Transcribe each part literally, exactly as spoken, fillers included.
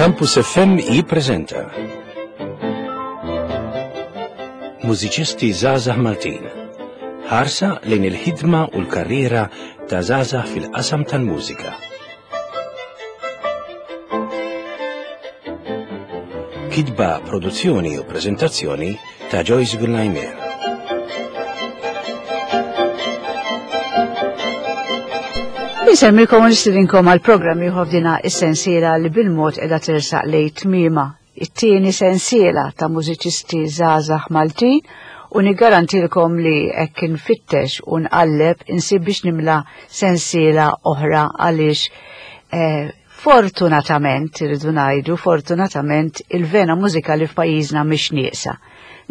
Campus F M jippreżenta Mużiċisti Żgħażagħ Maltin. Ħarsa lejn il-ħidma u l-karriera ta' żgħażagħ fil-qasam tal-mużika. Kitba, produzzjoni u preżentazzjoni ta' Joyce Gullajmer. Insemmilkom u nistidinkom għal programm ieħor f'dina is-sensiela li bil-mod qiegħda tersaq lejn tmiema. It-tieni sensiela ta' mużiċisti żgħażagħ Maltin u niggarantilkom li hekk infittex u nqalleb insib biex nimla sensiela oħra għaliex eh, fortunatament, irridu ngħidu, fortunatament il-vena mużikali f'pajjiżna mhix nieqsa.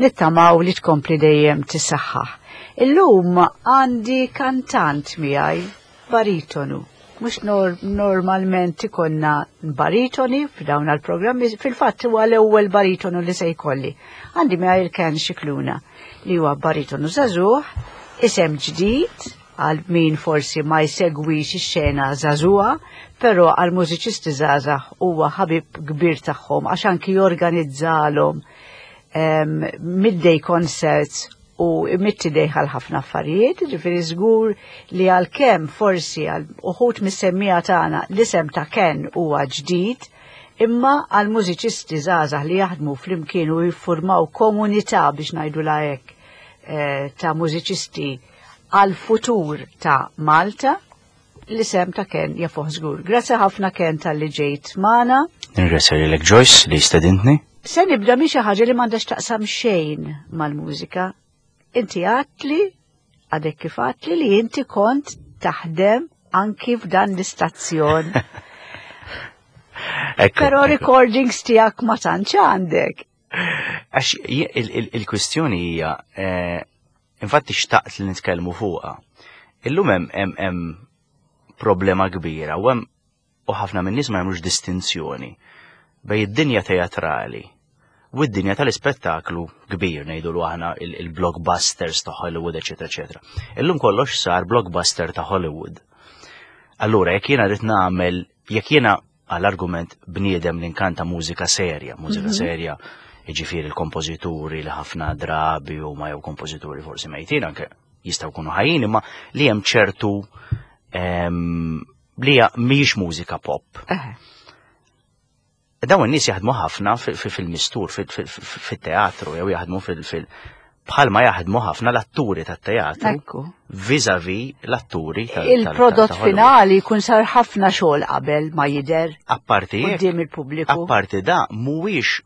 Nittamaw li tkompli dejjem tissaħħaħ. Illum għandi kantant miegħi, baritonu. Mhux nor normalment ikonna baritoni f'dawn għal-programmi, fil-fatt huwa l-ewwel baritonu li se jkolli. Għandi miegħi il-Ken Scicluna li huwa baritonu żagħżugħ, isem ġdid għal min forsi ma jsegwix ix-xena żagħżugħa, però għal mużiċisti żgħażagħ huwa ħabib kbir tagħhom għax anki jorganizzalhom um, midday concerts u mitti għal ħafna affarijiet, ġifieri żgur li għalkemm forsi għal uħud mis-semmija tagħna l-isem ta' Ken huwa ġdid, imma għal mużiċisti żgħażagħ li jaħdmu flimkien u jiffurmaw komunità biex ngħidu hekk eh, ta' mużiċisti għal futur ta' Malta, l-isem ta' Ken jafuh żgur. Grazzi ħafna Ken tal-li ġejt magħna. Nirringrazzja lilek Joyce li stedintni. Se nibda minn xi ħaġa li m'għandax taqsam xejn mal-mużika. Inti għatli, għadek kif għatli li inti kont taħdem anki f'dan l-istazzjon. Però recordings tiegħek ma tantx għandek. Għax il-kwistjoni hija, eh, infatti xtaqt li nitkellmu fuqha. Illum hemm hemm problema kbira u hemm u ħafna minn nies ma jagħmlux distinzjoni bejn id-dinja teatrali u d-dinja tal-ispettaklu kbir, ngħidu aħna il-blockbusters ta' Hollywood, eċetera, eċetera. Illum kollox sar blockbuster ta' Hollywood. Allura, jekk jiena rrid nagħmel, jekk jiena għall-argument bniedem li nkanta mużika serja, mużika mm -hmm. serja, jiġifieri l-kompożituri li ħafna drabi u ma jew kompożituri forsi mejtin anke jistgħu jkunu ħajjin, imma li hemm ċertu li mhijiex mużika pop. Uh -huh. Dawn in-nies jaħdmu ħafna fil-mistur, fit-teatru, jew jaħdmu fil- bħalma jaħdmu ħafna l-atturi tat-teatru. Vis-a-vis l-atturi tal Il-prodott finali jkun sar ħafna xogħol qabel ma jidher Apparti quddiem il-pubbliku. Apparti da mhuwiex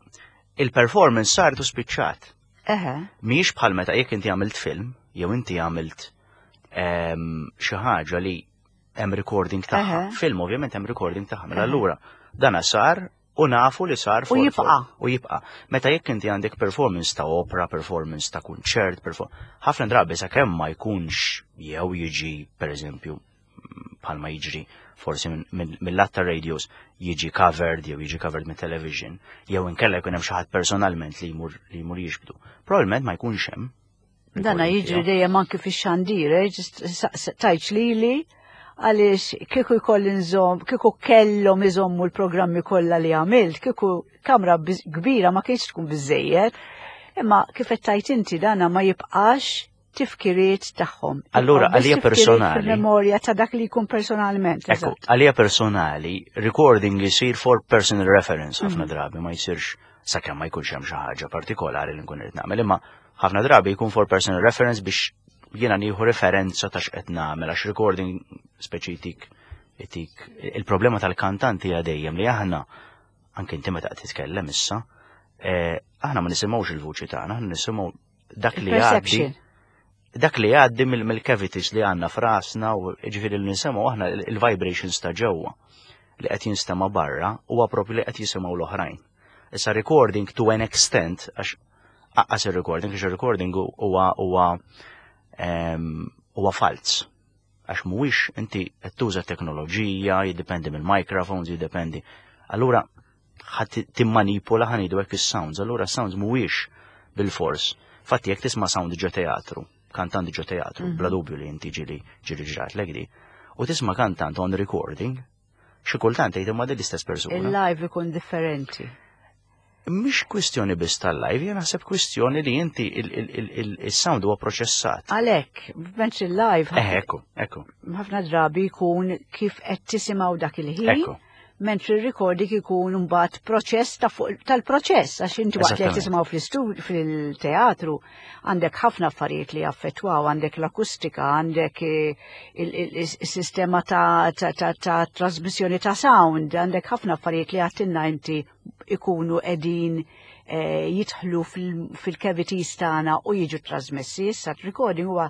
il-performance saret u spiċċat. Eħe. Mhijiex bħal meta jekk inti għamilt film, jew inti għamilt xi ħaġa li hemm recording tagħha. Film ovvjament hemm recording tagħha. Mela allura dana sar u nafu li sar u jibqa. U jibqa. Meta jekk inti għandek performance ta' opera, performance ta' kunċert, ħafna drabi sakemm ma jkunx jew jiġi pereżempju bħalma jiġri forsi mill-lat ta' radios jiġi covered jew jiġi covered mit television jew inkella jkun hemm xi ħadd personalment li jmur li jmur jiġbdu. Probabbilment ma jkunx hemm. Dana jiġri dejjem anki fix-xandir, tajċ lili għaliex kieku jkolli nżomm, kieku kellhom iżommu l-programmi kollha li għamilt, kieku kamra kbira ma kienx tkun biżejjed, imma kif qed tajt inti dana ma jibqax tifkiriet tagħhom. Allura għalija personali. Fil-memorja ta' dak li jkun personalment. Ekku, għalija personali, recording jisir for personal reference ħafna drabi, ma jsirx sakemm ma jkunx hemm xi ħaġa partikolari li nkun irid nagħmel, imma ħafna drabi jkun for personal reference biex jiena nieħu referenza ta' x'qed nagħmel għax recording speċi jtik jtik il-problema tal-kantanti hija dejjem li aħna anke inti meta qed titkellem issa, aħna ma nisimgħux il-vuċi tagħna, aħna nisimgħu dak li jgħaddi dak li jgħaddi mill-cavities li għandna f'rasna u ġifieri li nisimgħu aħna il-vibrations ta' ġewwa li qed jinstema' barra huwa proprju li qed jisimgħu l-oħrajn. Issa recording to an extent għax aqqas ir-recording, għax ir-recording huwa huwa huwa falz. Għax mhuwiex inti qed tuża teknoloġija, jiddependi mill-microphones, jiddependi. Allura ħadd timmanipula ħa ngħidu hekk is-sounds, allura sounds mhuwiex bil-fors. Fatti jekk tisma' sound ġo teatru, kantant ġo teatru, bla dubju li inti ġili ġili ġrat lek di, u tisma' kantant on recording, Xi kultant tgħid imma din l-istess persuna. Il-live ikun differenti. Mhix kwistjoni biss tal-live, jien naħseb kwistjoni li inti il-sound huwa proċessat. Għalhekk, mentri il-live Eh, ekku, ekku. ħafna drabi jkun kif qed tisimgħu dak il-ħin. Ekku. Mentri il-recording ikun mbagħad proċess ta' fuq tal-proċess għax inti waqt li qed Eżattament. tisimgħu fl-istud fil-teatru għandek ħafna affarijiet li jaffettwaw, għandek l-akustika, għandek eh, il- il- il-sistema ta' ta' ta' ta' trasmissjoni ta' sound, għandek ħafna affarijiet li għedtilna inti ikunu qegħdin eh, jidħlu fil- fil-cavities tagħna u jiġu trasmessi. Issa recording huwa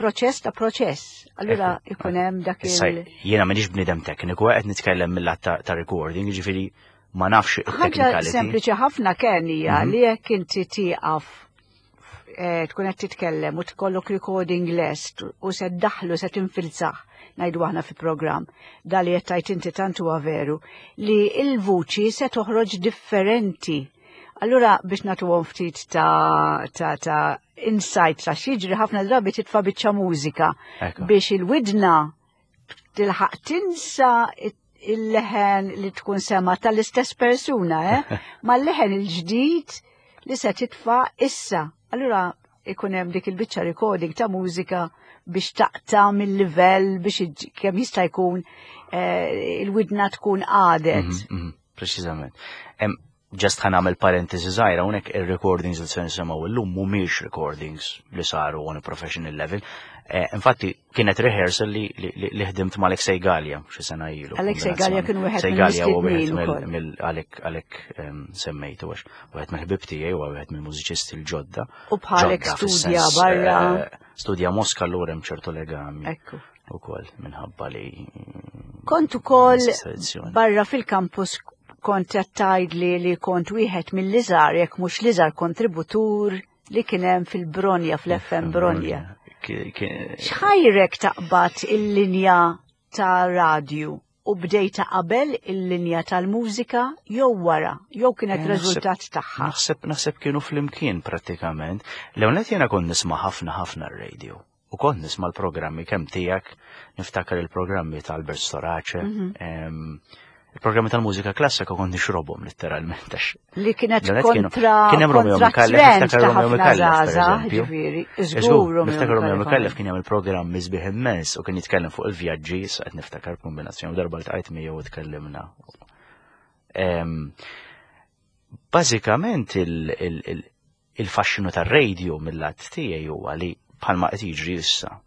proċess ta' proċess. Allura Ekku, ikun hemm dak Issa, il- jiena m'iniex bniedem tekniku, qed nitkellem mill-lat ta' ta' recording, jiġifieri ma nafx ħaġa it-technicality. sempliċi ħafna kien hija Mhm. li jekk inti tieqaf eh, tkun qed titkellem u tkollok recording lest u se ddaħlu se tinfilzah ngħidu aħna fi programm da li qed tgħid inti tant huwa veru li il-vuċi se toħroġ differenti. Allura biex nagħtuhom ftit ta' ta' ta' insight ta' x'jiġri ħafna drabi titfa' biċċa mużika Ekku. biex il-widna tilħaq tinsa il-leħen li tkun sema tal-istess persuna, eh? Ma l-leħen il-ġdid li se titfa' issa. Allura ikun hemm dik il-biċċa recording ta' mużika biex taqta' mill-livell biex iġ- kemm jista' jkun eh, il-widna tkun għadet. Mhm, mhm, Preċiżament. Em, Just ħa nagħmel parentesi żgħira hawnhekk ir-recordings li se nisimgħu illum mhumiex recordings li saru on a professional level. Eh, Infatti kienet rehearsal li li- li li ħdimt ma' Alexei Gallia xi sena ilu. Alexei Gallia kien wieħed Alexei Gallia huwa wieħed mill-mistednin mill- ukoll. mill għalhekk għalhekk em, semmejtu għax wieħed mill-ħbib tiegħi huwa wieħed mill-mużiċisti l-ġodda. U bħalek Ġodda studja fis-sens, barra. eh, Studja Mosca allura hemm ċertu legami Ekku. ukoll minħabba li Kont ukoll l-istess tradizzjoni. barra fil-campus kont qed tgħidli li kont wieħed mill-iżgħar jekk mhux l-iżgħar kontributur li kien hemm fil-Bronja fl-F M Bronja. Ki- ki- X'ħajrek taqbad il-linja ta' radju u bdejta qabel il-linja tal-mużika jew wara, jew kienet Eh, naħseb- riżultat tagħha? Naħseb naħseb kienu flimkien prattikament. L-ewwel jiena kont nisma' ħafna ħafna r-radio. U kont nisma' l-programmi kemm tiegħek, niftakar il-programmi ta' Albert Storace, Mhm. em, il-programmi tal-mużika klassika kont nixrobhom letteralment għax Li kienet L-ewwel kienu- kontra kien hemm Romeo kontra Micallef, trend niftakar ta' Romeo ħafna Micallef, per żgħażagħ, eżempju. ġifieri, Żgur, żgur Romeo niftakar Romeo Micallef. Micallef kien jagħmel programm sbieħ immens u kien jitkellem fuq il-vjaġġi, sa qed niftakar kombinazzjoni darba ltqajt miegħu u tkellimna. Em, Bażikament il- il- il- il-faxxinu tar-radio mill-lat tiegħi huwa li bħalma qed jiġri issa.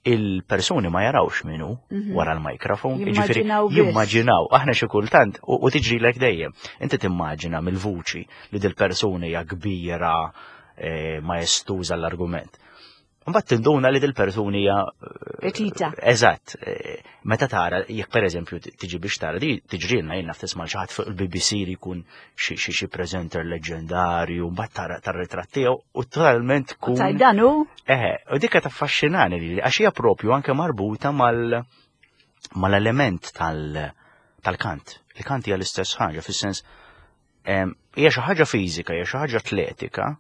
Il-persuni ma jarawx minnu Mhm. wara l-mikrofon, jiġifieri Jimmaġinaw biss. jimmaġinaw, aħna xi kultant u, u tiġri lek dejjem. Inti timmaġina mill-vuċi li dil-persuni hija kbira, eh, maestuża l-argument. Mbagħad tinduna li dil-persuni hija eh, Petita. Eżatt, eh, meta tara, jekk per eżempju tiġi biex tara, di tiġrilna jien naf tisma' xi ħadd fuq il-B B C li jkun xi xi xi presenter leġendarju, mbagħad tara tar-ritratt tiegħu u totalment tkun. Taj danu? Eħe, u dikka taffaxxinani li għax hija propju anke marbuta mal mal-element tal tal-kant. Il-kant hija l-istess ħaġa, fis-sens em, hija xi ħaġa fiżika, hija xi ħaġa atletika.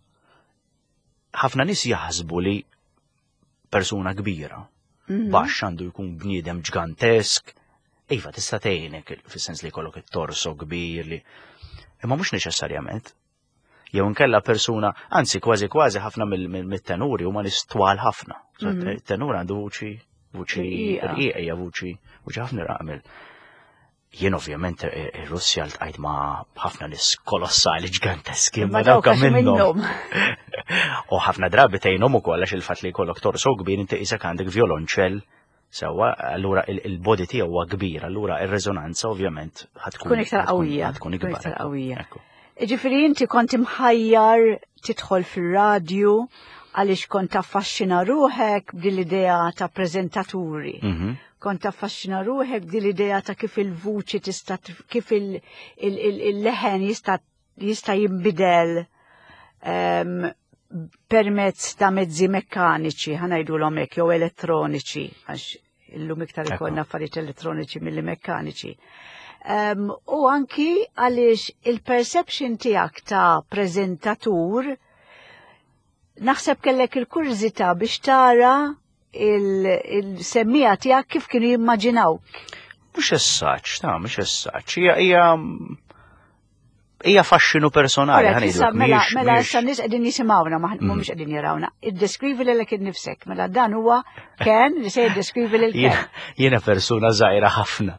Ħafna nies jaħsbu li persuna kbira, Mhm. baxx għandu jkun bniedem ġgantesk. Iva, tista' tgħinek fis-sens li jkollok it-torso kbir li. Imma mhux neċessarjament. Jew inkella persuna, anzi kważi kważi ħafna mill- mill- mit-tenuri huma nies twal ħafna. So, Mhm. tenur għandu vuċi vuċi Rqiqa. rqiqa hija vuċi vuċi ħafna raqmel. Jien ovvjament ir-Russja ltqajt ma' ħafna nies kolossali ġganteski, Imma ma dawk dawk għax minnhom. minnhom. U ħafna drabi tgħinhom ukoll għax il-fatt li jkollok torso kbir inti qisek għandek violonċell sewwa, allura il- il-body tiegħu huwa kbir, allura ir-reżonanza ovvjament ħa tkun Tkun iktar qawwija. Ħa tkun Tkun ikbar. iktar qawwija. Ekku. Ġifieri inti kont imħajjar tidħol fir-radju għaliex kont taffaxxina ruħek b'din l-idea ta' preżentaturi. Mhm. Kont taffaxxina ruħek b'din l-idea ta' kif il-vuċi tista' kif il- il- il- il-leħen jista' jista' jinbidel em, permezz ta' mezzi mekkaniċi, ħa ngħidulhom hekk, jew elettroniċi, għax illum iktar Ekku. ikollna affarijiet elettroniċi milli mekkaniċi. Um, u anki għaliex il-perception tiegħek ta' prezentatur naħseb kellek il-kurżità biex tara il-semmiegħa tiegħek kif kienu jimmaġinawk. Mhux essaċ, ta' mhux essaċ. Hija hija hija faxxinu personali, Alright, ħa issa, ngħidu. Mela, mhijiex- mela mhijiex- issa nies qegħdin jisimgħuna, ma mhumiex qegħdin jarawna. Iddeskrivi lilek innifsek. Mela dan huwa Ken li se jiddeskrivi lil Ken. Jiena jiena persuna żgħira ħafna.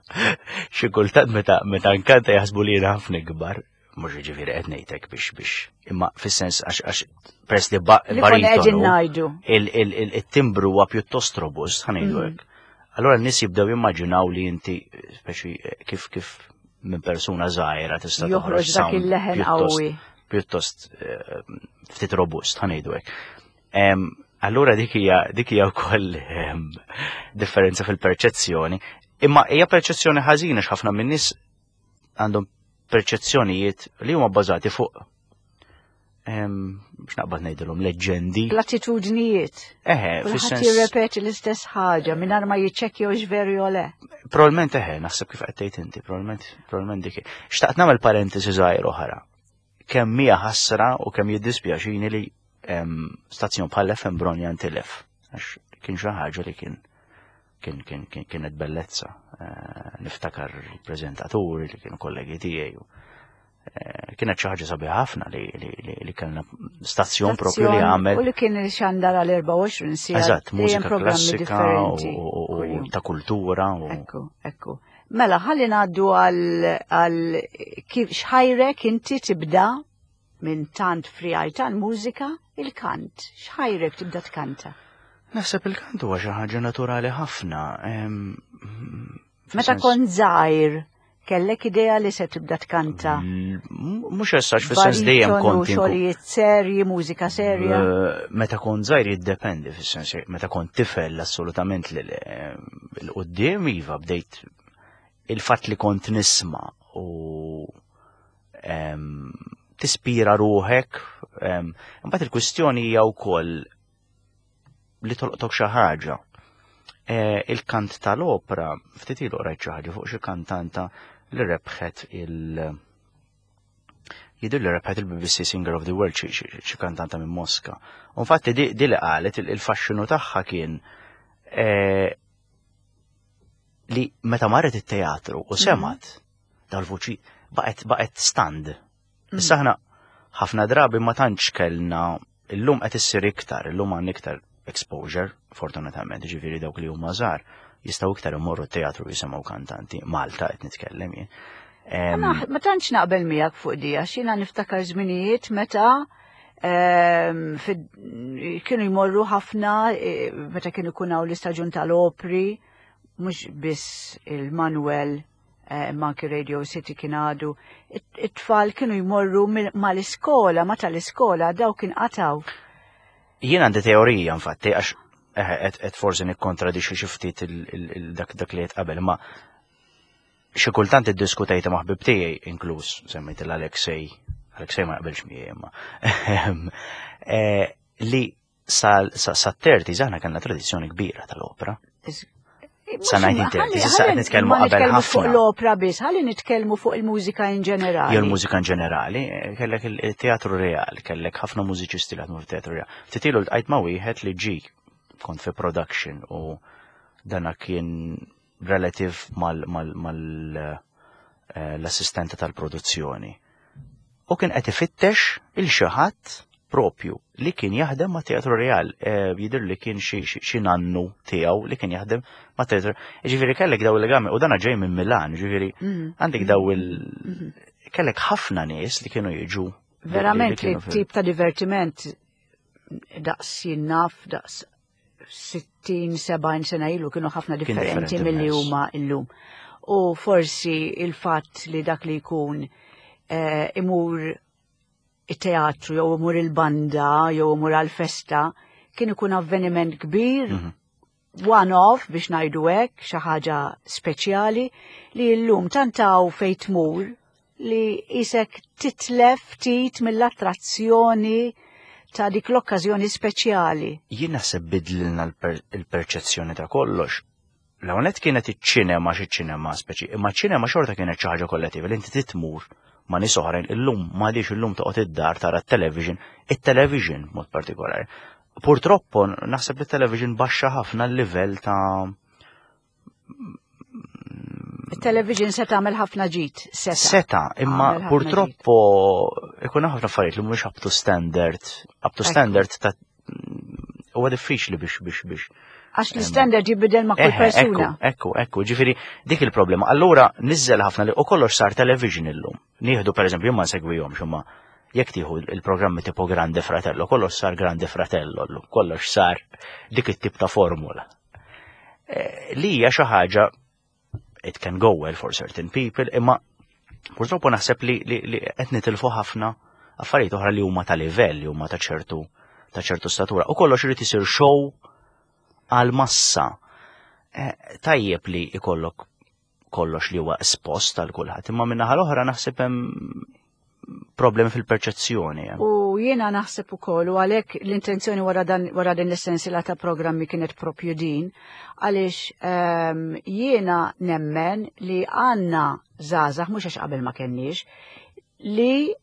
Xi kultant meta meta nkanta jaħsbu li jiena ħafna ikbar. Mhux ġifieri qed ngħidlek biex biex imma fis-sens għax għax peress li ba- Li konna qegħdin baritonu ngħidu. il- il- il- il-timbru huwa pjuttost robust, ħa ngħidu Mhm. hekk. Allora n-nies jibdew jimmaġinaw li inti speċi kif kif minn persuna żgħira tista' Joħroġ toħroġ dak sound il-leħen pjuttost- qawwi. pjuttost eh, ftit robust, ħa ngħidu hekk. Em, Allura dik hija dik hija wkoll em, differenza fil-perċezzjoni. Imma hija perċezzjoni ħażina x'ħafna min-nies għandhom perċezzjonijiet li huma bbażati fuq em, x'naqbad ngħidilhom leġġendi. Platitudnijiet. Eħe, Kulħadd fis-sens jirrepeti l-istess ħaġa mingħajr ma jiċċekkja hux veru jew le. Probabilment eħe, naħseb kif qed tgħid inti, probabilment probabilment dik. Xtaqt nagħmel parentesi żgħir oħra. Kemm hija ħasra u kemm jiddispjaċini li em, stazzjon bħal F M Bronja ntilef. Għax kien xi ħaġa li kien kien kien kien kienet bellezza. Eh, niftakar il-preżentaturi li kienu kollegi tiegħi. u, eh, Kienet xi ħaġa sabiħa ħafna li li li, li kellna stazzjon propju li għamel U li kien xandar għal erbgħa u għoxrin siegħa. Eżatt, dejjem mużika programmi klassika u, differenti u, u, kuljum. ta' kultura u Ekku, ekku. Mela, ħalli ngħaddu għal għal kif x'ħajrek inti tibda minn tant friegħi tal-mużika il-kant. X'ħajrek tibda tkanta? Naħseb il-kant huwa xi ħaġa naturali ħafna. em, Meta fis-sens- kont żgħir, kellek idea li se tibda tkanta? L- Mhux essax fis-sens dejjem Baritonu, kont inkun- xogħlijiet serji, mużika serja. Eh, Meta kont żgħir jiddependi fis-sens meta kont tifel assolutament li l-qudiem iva bdejt il-fatt li kont nisma' u em, tispira ruħek. em, Imbagħad il-kwistjoni hija wkoll li tolqtok xi ħaġa. Eh, Il-kant tal-opra, ftit ilu qrajt xi ħaġa fuq xi kantanta li rebħet il- Jidher li rebħet il-B B C Singer of the World xi- xi xi kantanta minn Moska. U infatti di, di li qalet il- il-faxxinu tagħha kien eh, li meta marret it-teatru u semgħet dal-vuċi baqgħet baqgħet stunned. Issa aħna ħafna drabi ma tantx kellna, illum qed issir iktar, illum għandna iktar exposure, fortunatament, ġifieri dawk li huma żgħar jistgħu iktar imorru t-teatru jisimgħu kantanti, Malta qed nitkellem jien. Em, Ma ma tantx naqbel miegħek fuq di, għax jiena niftakar żminijiet meta ehm, fid- kienu jmorru ħafna eh, meta kienu jkun hawn l-istaġun tal-opri, mhux biss il-Manuel eh, imma anki Radio City kien għadu. It- It-tfal kienu jmorru mill- mal-iskola, ma tal-iskola daw kien qataw. Jien għandi teorija infatti għax eh, qed qed forsi nikkontradixxi xi ftit il- il- il- dak dak li qed qabel, imma xi kultant iddiskutejta ma' ħbib tiegħi inkluż semmejt l-Alexej, Alexej ma jaqbilx miegħi imma eh, li sa sa sa thirties aħna kellna tradizzjoni kbira tal-opra. Is- Sa nineteen thirties, issa qed nitkellmu Ma qabel nitkellmu fuq ħafna. l-opra biss, ħalli nitkellmu fuq il-mużika in ġenerali. Jew l-mużika in ġenerali, eh, kellek il-teatru real, kellek ħafna mużiċisti li ħadmu fil-teatru real. Ftit ilu ltqajt ma' wieħed li ġi kont fi production u dana kien relative mal, mal, mal eh, l-assistenta tal-produzzjoni. U kien qed ifittex il xi ħadd propju li kien jaħdem ma' Teatru Real, eh, jidher li kien xi xi- xi nannu tiegħu li kien jaħdem ma' Teatru. Ġifieri kellek daw il-legami u dana ġej minn Milan, ġifieri Mhm. għandek daw il kellek ħafna nies li kienu jiġu li- Verament li kienu fil- tip ta' divertiment daqs jinnaf, daqs sittin sebgħin sena ilu kienu ħafna Kien differenti differenti milli immens. huma illum. U forsi il-fatt li dak li jkun eh, imur it-teatru jew imur il-banda jew imur għal-festa kien ikun avveniment kbir, Mhm. one-off biex ngħidu hekk, xi ħaġa speċjali li llum tantaw fejn tmur li isek titlef ftit mill-attrazzjoni ta' dik l-okkażjoni speċjali. Jien naħseb bidlilna l-per- il-perċezzjoni ta' kollox. L-għonet kienet iċ-ċinema xi ċinema speċi, imma ċinema xorta kienet xi ħaġa kollettiva li inti titmur ma' nies oħrajn. Illum m'għadix, illum toqgħod id-dar tara t-television, it-television mod partikolari. Purtroppo naħseb li t-television baxxa ħafna l-livell ta' Television se tagħmel ħafna ġid, seta. Seta, imma Għamel ħafna purtroppo ikun ħafna affarijiet li mhumiex up to standard, up to Ekku. standard ta' huwa diffiċli biex biex biex. Għax l-standard jibidel ma' kull Eħe, persuna. Ekku, ekku, ekku, ġifieri dik il-problema. Allura niżel ħafna li u kollox sar television illum. Nieħdu, pereżempju, ma nsegwihomx, imma jekk tieħu il-programmi tipo Grande Fratello, kollox sar Grande Fratello llum, kollox sar dik it-tip ta' formula. Eh, Li hija xi ħaġa it can go well for certain people, imma purtroppo naħseb li, li, li qed nitilfu ħafna affarijiet oħra li huma ta' livell, li huma ta' ċertu ta' ċertu statura. U kollox irid isir show għal massa. Eh, Tajjeb li ikollok kollox li huwa espost għal kulħadd, imma min-naħa l-oħra naħseb hemm problemi fil-perċezzjoni. eh. U jiena naħseb ukoll, u għalhekk l-intenzjoni wara dan wara din l-essenzjala ta' programmi kienet propju din, għaliex ehm, jiena nemmen li għandna żgħażagħ, mhux għax qabel ma kenniex, li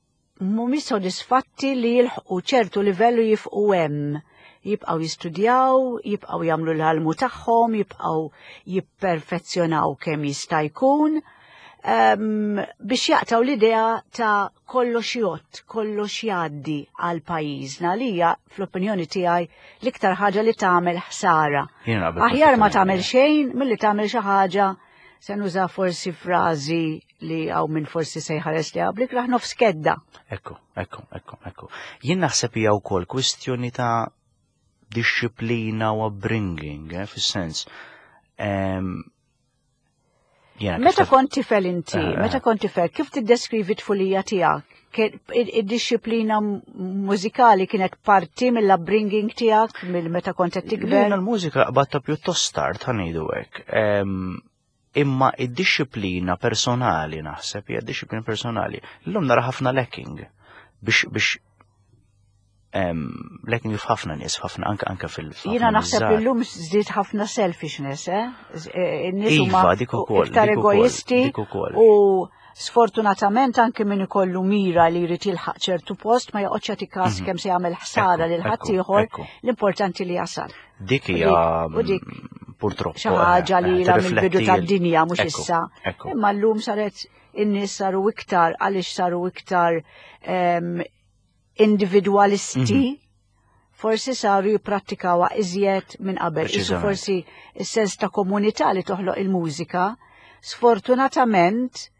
mhumiex sodisfatti li jilħqu ċertu livellu jifqu hemm. Jibqgħu jistudjaw, jibqgħu jagħmlu l-almu tagħhom, jibqgħu jipperfezzjonaw kemm jista' jkun um, biex jaqtaw l-idea ta' kollox jgħodd, kollox jgħaddi għal pajjiżna, li hija, fl-opinjoni tiegħi, l-iktar ħaġa li tagħmel ħsara. Jiena naqbel Aħjar ma perfettament. tagħmel xejn milli tagħmel xi ħaġa, se nuża forsi frażi li hawn min forsi se jħares li għablik raħ nofs kedda. Ekku, ekku, ekku, ekku. Jien naħseb hija wkoll kwistjoni ta' disċiplina u upbringing, eh, fis-sens. Em, jiena kif Meta taf- kont tifel inti, Eh, eh. meta kont tifel, kif tiddeskrivi tfulija tiegħek? Kien- Id-disciplina mużikali kienet parti mill-upbringing tiegħek, mill meta kont qed tikber? Jiena l-mużika qbadta pjuttost tard, ħa ngħidu hekk. Em, Imma id-disciplina personali, naħseb, hija disciplina personali. Illum nara ħafna lacking biex biex em, lacking f'ħafna nies, f'ħafna anke anke fil f'ħafna Jiena nies naħseb żgħar. illum żdied ħafna selfishness, eh? Z- eh, In-nies Iva, huma dik ukoll, iktar dik ukoll, egoisti dik ukoll. u sfortunatament anke min ikollu mira li jrid jilħaq ċertu post ma joqgħodx jagħti każ kemm se jagħmel ħsara Mhm. Ekku, lil ekku, ħaddieħor, ekku. l-importanti li jasal. Dik hija U dik mm, purtroppo xi ħaġa li eh, ilha mill-bidu tirrifletti tad-dinja, mhux Ekku, issa. Ekku. Imma llum saret in-nies saru iktar, għaliex saru iktar em, individualisti, Mhm. forsi saru jipprattikawha iżjed minn qabel. Isu Preċiżament. forsi is-sens ta' komunità li toħloq il-mużika, sfortunatament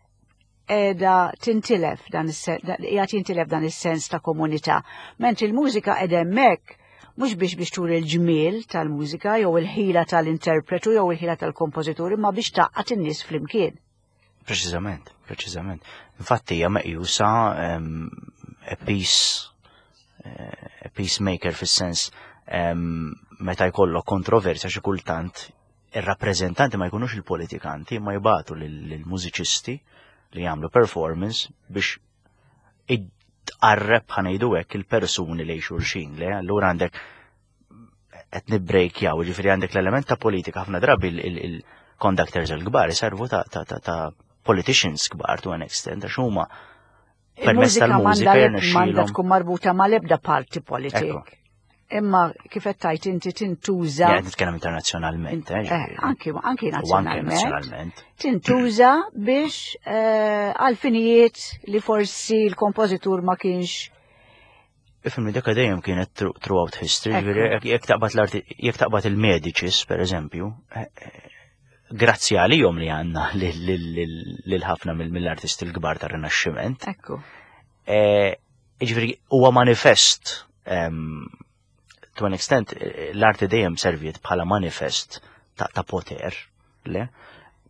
edha tintilef dan is-sen- da- qiegħed jintilef dan is-sens ta' komunità. Mentri il-mużika qiegħda hemmhekk mhux biex biex turi l-ġmiel tal-mużika jew il-ħila tal-interpretu jew il-ħila tal-kompożitur, imma biex tgħaqqad in-nies flimkien. Preċiżament, preċiżament. Infatti hija meqjusa em, a peace eh, a peacemaker, fis-sens em, meta jkollok kontroversja, xi kultant ir-rappreżentanti ma jkunux il-politikanti, ma jibagħtu lill-mużiċisti li jagħmlu performance biex tqarreb, ħa ngħidu hekk, il-persuni li xulxin le allura għandek qed nibbrejkjaw, ġifieri għandek l-element ta' politika. Ħafna drabi il-conductors il-kbar iservu ta' ta' ta' ta' politicians kbar to an extent, għax huma permezz Il-mużika tal-mużika m'għandha m'għandha jirnexxielhom. tkun marbuta mal-ebda parti politik. Ekku. Imma kif qed tajt inti tintuża Jien qed nitkellem internazzjonalment, eh, Eh, ġifieri. anki anki U anke nazzjonalment. nazzjonalment. Tintuża biex eh, għal finijiet li forsi l-kompożitur ma kienx. Ifhimni, dik dejjem kienet through- throughout history, Ekku. ġifieri jekk- jekk taqbad l-arti, jekk taqbad il-Medicis, per eżempju, eh, eh, grazzi għalihom li għandna lil ħafna mill-artisti l-kbar tar-Rinaxximent. Ekku. Eh, Ġifieri huwa manifest, em, to an extent, eh, l-arti dejjem serviet bħala manifest ta', ta poter, le?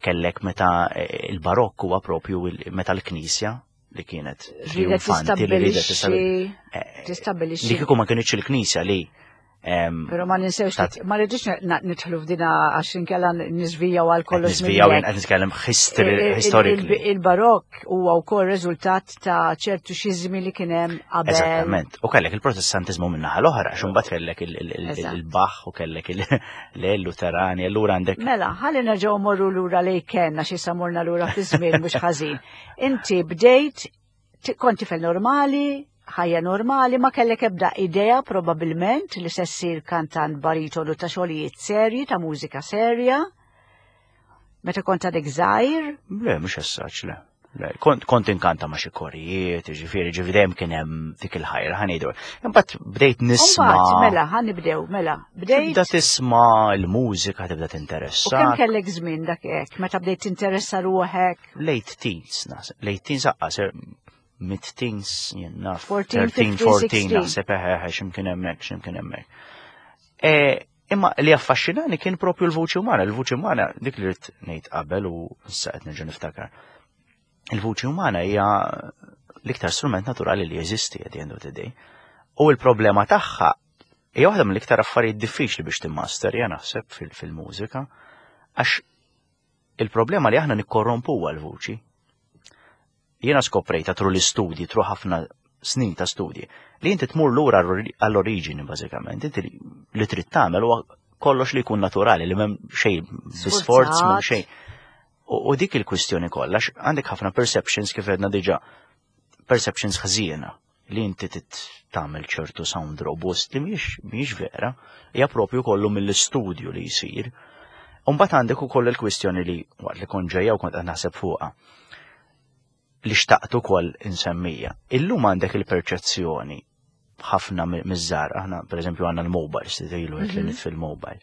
Kellek meta eh, il-barokk huwa propju il- meta l-Knisja li kienet Ridet triumfanti li ridet tistabbilixxi eh, tistabbilixxi li kieku ma kienx il-Knisja li em, Pero ma ninsewx, tat- ma rridux na- nidħlu f'dina għax inkella niżvijaw għal kollox. Niżvijaw, minn qed nitkellem history Il- il- historically. il- Il-barokk huwa wkoll riżultat ta' ċertu xiżmi li kien hemm qabel. Eżattament. U kellek il-Protestantizmu min-naħa l-oħra, għax imbagħad kellek il- il- il- Eżatt. il-Bach u kellek il-Luterani, allura għandek Mela, ħalli nerġgħu morru lura lejn kenna xi samurna lura fi żmien mhux ħażin. Inti bdejt ti- kont tifel normali, ħajja normali, ma kellek ebda idea probabbilment li se ssir kantant baritonu ta' xogħlijiet serji, ta' mużika serja. Meta kont għadek żgħir? Le, mhux essaċ, le. Le, kont, kont inkanta ma' xi korijiet, ġifieri, ġifieri dejjem kien hemm dik il-ħajra, ħa ngħidu. Imbagħad bdejt nisma'. Imbagħad mela, ħa nibdew, mela. Bdejt. Tibda tisma' l-mużika, tibda tinteressa. U kemm kellek żmien dak hekk, meta bdejt tinteressa ruħek? Late teens, naħseb. Late teens aqqas, mid teens, jien naf. fourteen, fourteen, naħseb, eħe, x'imkien hemmhekk, x'imkien hemmhekk. Imma li affaxxinani kien propju l-vuċi umana, l-vuċi umana dik li rrid ngħid qabel u issa qed nerġa' niftakar. Il-vuċi umana hija l-iktar strument naturali li jeżisti at the end of the day. U l-problema tagħha hija waħda mill-iktar affarijiet diffiċli biex timmasterja naħseb fil-mużika, għax il-problema li aħna nikkorrompuha l-vuċi. Jiena skoprejta through l-istudji, through ħafna snin ta' studji, li inti tmur lura għall-oriġini bażikament, inti li trid tagħmel huwa kollox li jkun naturali, li m'hemm xejn bi sforz, m'hemm xejn. U dik il-kwistjoni kollha, għandek ħafna perceptions kif għedna diġà, perceptions ħażiena li inti tagħmel ċertu sound robust li mhijiex mhijiex vera, hija propju kollu mill-istudju li jsir. U mbagħad għandek ukoll il-kwistjoni li waqt li kont ġejja u kont qed naħseb fuqha li xtaqt ukoll insemmija. Illum għandek il-perċezzjoni ħafna miż-żgħar, aħna pereżempju għandna l-mobile, stilu qed li nitfi l-mobile.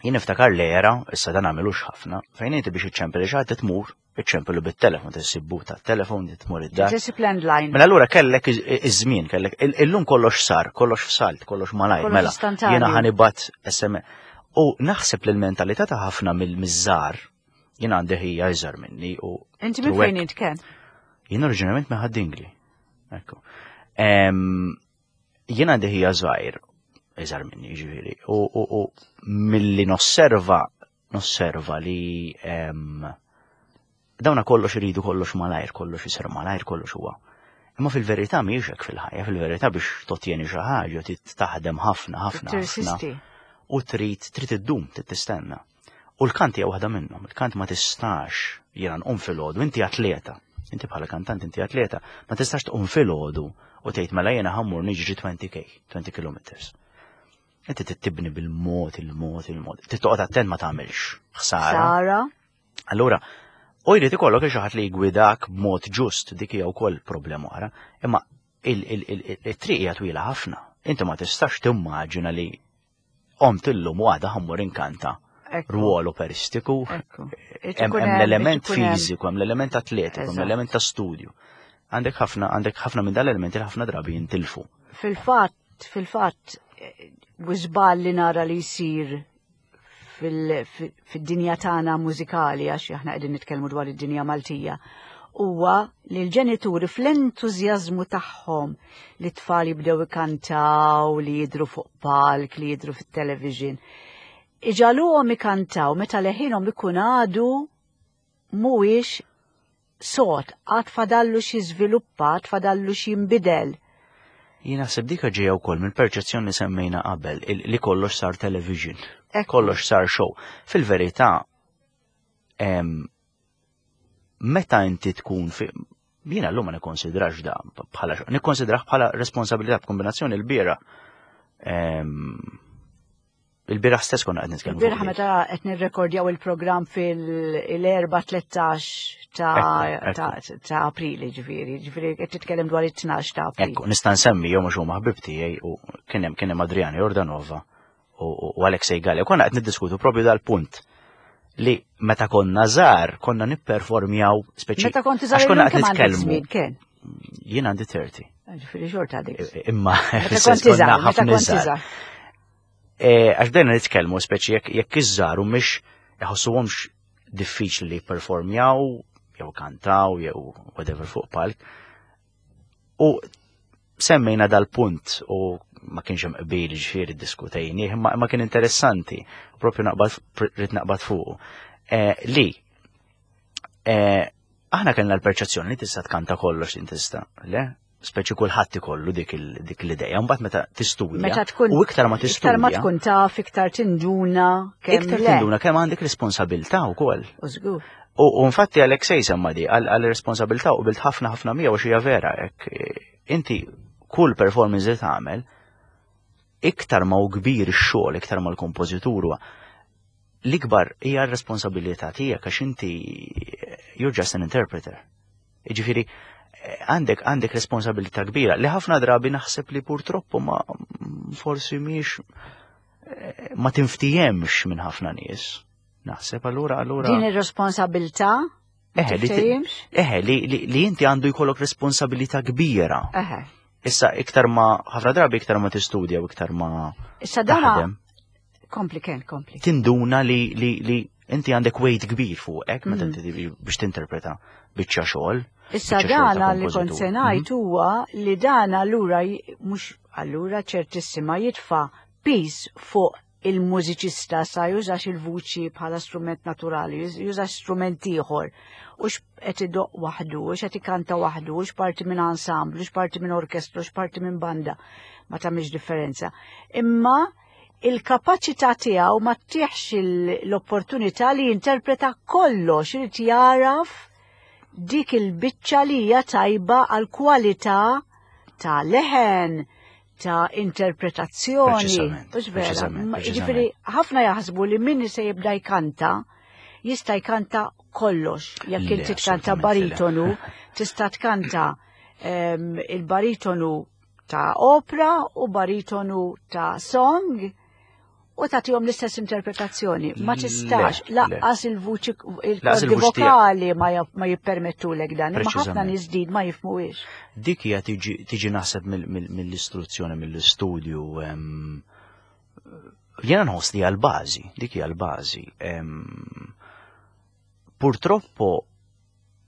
Jien niftakar l-era, issa dan għamilux ħafna, fejn inti biex iċċempel xi ħadd tmur, iċċempelu bit-telefon, tissibbu tat-telefon, tmur id-dar. Tisib landline. Mela allura kellek iż-żmien, kellek illum kollox sar, kollox f'salt, kollox malajr, mela jiena ħa nibgħat S M S. U naħseb li l-mentalità ta' ħafna mill-miżżar, jien għandi ħija iżgħar minni u. Inti minn fejn int kien? Jien oriġinarjament minn Ħad-Dingli. Ekku. Jien għandi ħija żgħir, iżgħar minni ġifieri, u milli nosserva, nosserva li dawna kollox iridu kollox malajr, kollox isir malajr, kollox huwa. Imma fil-verità mhijiex hekk fil-ħajja, fil-verità biex tottieni xi ħaġa trid taħdem ħafna, ħafna, ħafna. U trid trid iddum, trid tistenna. U l-kant hija waħda minnhom, il-kant ma tistax jiena nqum filgħodu, inti atleta, inti bħala kantant inti atleta, ma tistax tqum filgħodu u tgħid mela jiena ħa mmur niġri twenty K, twenty kilometers. Inti tibni bil-mod, il-mod, il-mod. Trid attent ma tagħmilx ħsara. Ħsara. Allura, u jrid ikollok xi ħadd li jgwidak b'mod ġust, dik hija wkoll problema oħra, imma it-triq hija twila ħafna. Inti ma tistax timmaġina li qomt illum u għada ħa mmur inkanta rwol operistiku. Hemm l-element fiżiku, hemm l-element atletiku, hemm l-element ta' studju. Għandek ħafna, għandek ħafna minn dal-elementi li ħafna drabi jintilfu. Fil-fatt, fil-fatt, żball li nara li jsir fid-dinja tagħna mużikali, għax aħna qegħdin nitkellmu dwar id-dinja Maltija, huwa li l-ġenituri fl-entużjażmu tagħhom li tfal jibdew ikantaw, li jidru fuq palk, li jidru fit-television, iġagħluhom ikantaw meta leħinhom ikun għadu mhuwiex sod, għad fadallu xi żviluppa, għad fadallu xi jinbidel. Jien naħseb dik ġejja wkoll mill-perċezzjoni li semmejna qabel, li kollox sar television, kollox sar show. Fil-verità, meta inti tkun fi jiena llum ma nikkonsidrax da bħala nikkonsidrah bħala responsabilità b'kombinazzjoni l-bieraħ. Il-bieraħ stess konna qed nitkellmu. Il-bieraħ meta qed nirrekordjaw il-programm fil-erba tlettax ta' April, ġifieri, ġifieri qed titkellem dwar it-tnax ta' April. Ekku, nista' nsemmi jew mhux huma ħbib tiegħi u kien hemm kien hemm Adriana Jordanova u Alexei Galea. Konna qed niddiskutu propju dal-punt li meta konna żgħar konna nipperformjaw speċi. Meta kont żgħar konna qed nitkellmu. Jien għandi thirty. Ġifieri xorta għadek. Imma meta kont żgħar, meta kont żgħar. Għax bdejna nitkellmu speċi jekk iż-żgħar u mhix iħossuhomx diffiċli li jipperformjaw jew kantaw jew whatever fuq palk. U semmejna dal-punt u ma kienx hemm qbil ġifieri ddiskutejnieh, imma ma kien interessanti, propju naqbad rrid naqbad fuqu. Li aħna kellna l-perċezzjoni li tista' tkanta kollox li tista', le? Speċi kulħadd ikollu dik l-idea, mbagħad meta tistudja. Meta tkun u iktar ma tistudja. Iktar ma tkun taf, iktar tinduna kemm Iktar tinduna kemm għandek responsabilità wkoll. U żgur. U infatti Alexei semma di għal responsabilità u bilt ħafna ħafna miegħu xi vera hekk. Inti kull performance li tagħmel iktar ma hu kbir ix-xogħol, iktar ma l-kompożitur huwa L-ikbar hija r-responsabilità tiegħek għax inti you're just an interpreter. Jiġifieri għandek għandek responsabilità kbira li ħafna drabi naħseb li purtroppo ma forsi mhix ma tinftihemx minn ħafna nies. Naħseb allura allura. Din ir-responsabilità Eħe, li, eħe, li, li, li inti għandu jkollok responsabilità kbira. Eħe. Issa iktar ma ħafna drabi iktar ma tistudja u iktar ma Issa dana kompli Ken, kompli. Tinduna li, li, li inti għandek weight kbir fuqek meta inti biex tinterpreta biċċa xogħol. Issa dana li kont se ngħid huwa li dana allura mhux allura ċertissima jitfa' piż fuq il-mużiċista sa jużax il-vuċi bħala strument naturali, jużax strument ieħor. U qed idoqq waħdu, u qed ikanta waħdu, u parti minn ensemble, u parti minn orkestra, u parti minn banda. Ma tagħmilx differenza. Imma il-kapaċità tiegħu ma ttihx l-opportunità li jinterpreta kollox, irid jaraf dik il-biċċa li hija tajba għal kwalità ta' leħen, ta' interpretazzjoni. Ġifieri, ħafna jaħsbu li min se jibda jkanta, jista' jkanta kollox. Jekk inti tkanta baritonu, tista' tkanta il-baritonu ta' opera u baritonu ta' song u tagħtihom l-istess interpretazzjoni. Ma tistax, lanqas il-vuċi, il-kordi vokali ma jippermettulek dan, imma ħafna nies din ma jifhmuhiex. Dik hija tiġi naħseb mill-istruzzjoni, mill-istudju. Jiena nħoss li għal-bażi, dik hija l-bażi. Purtroppo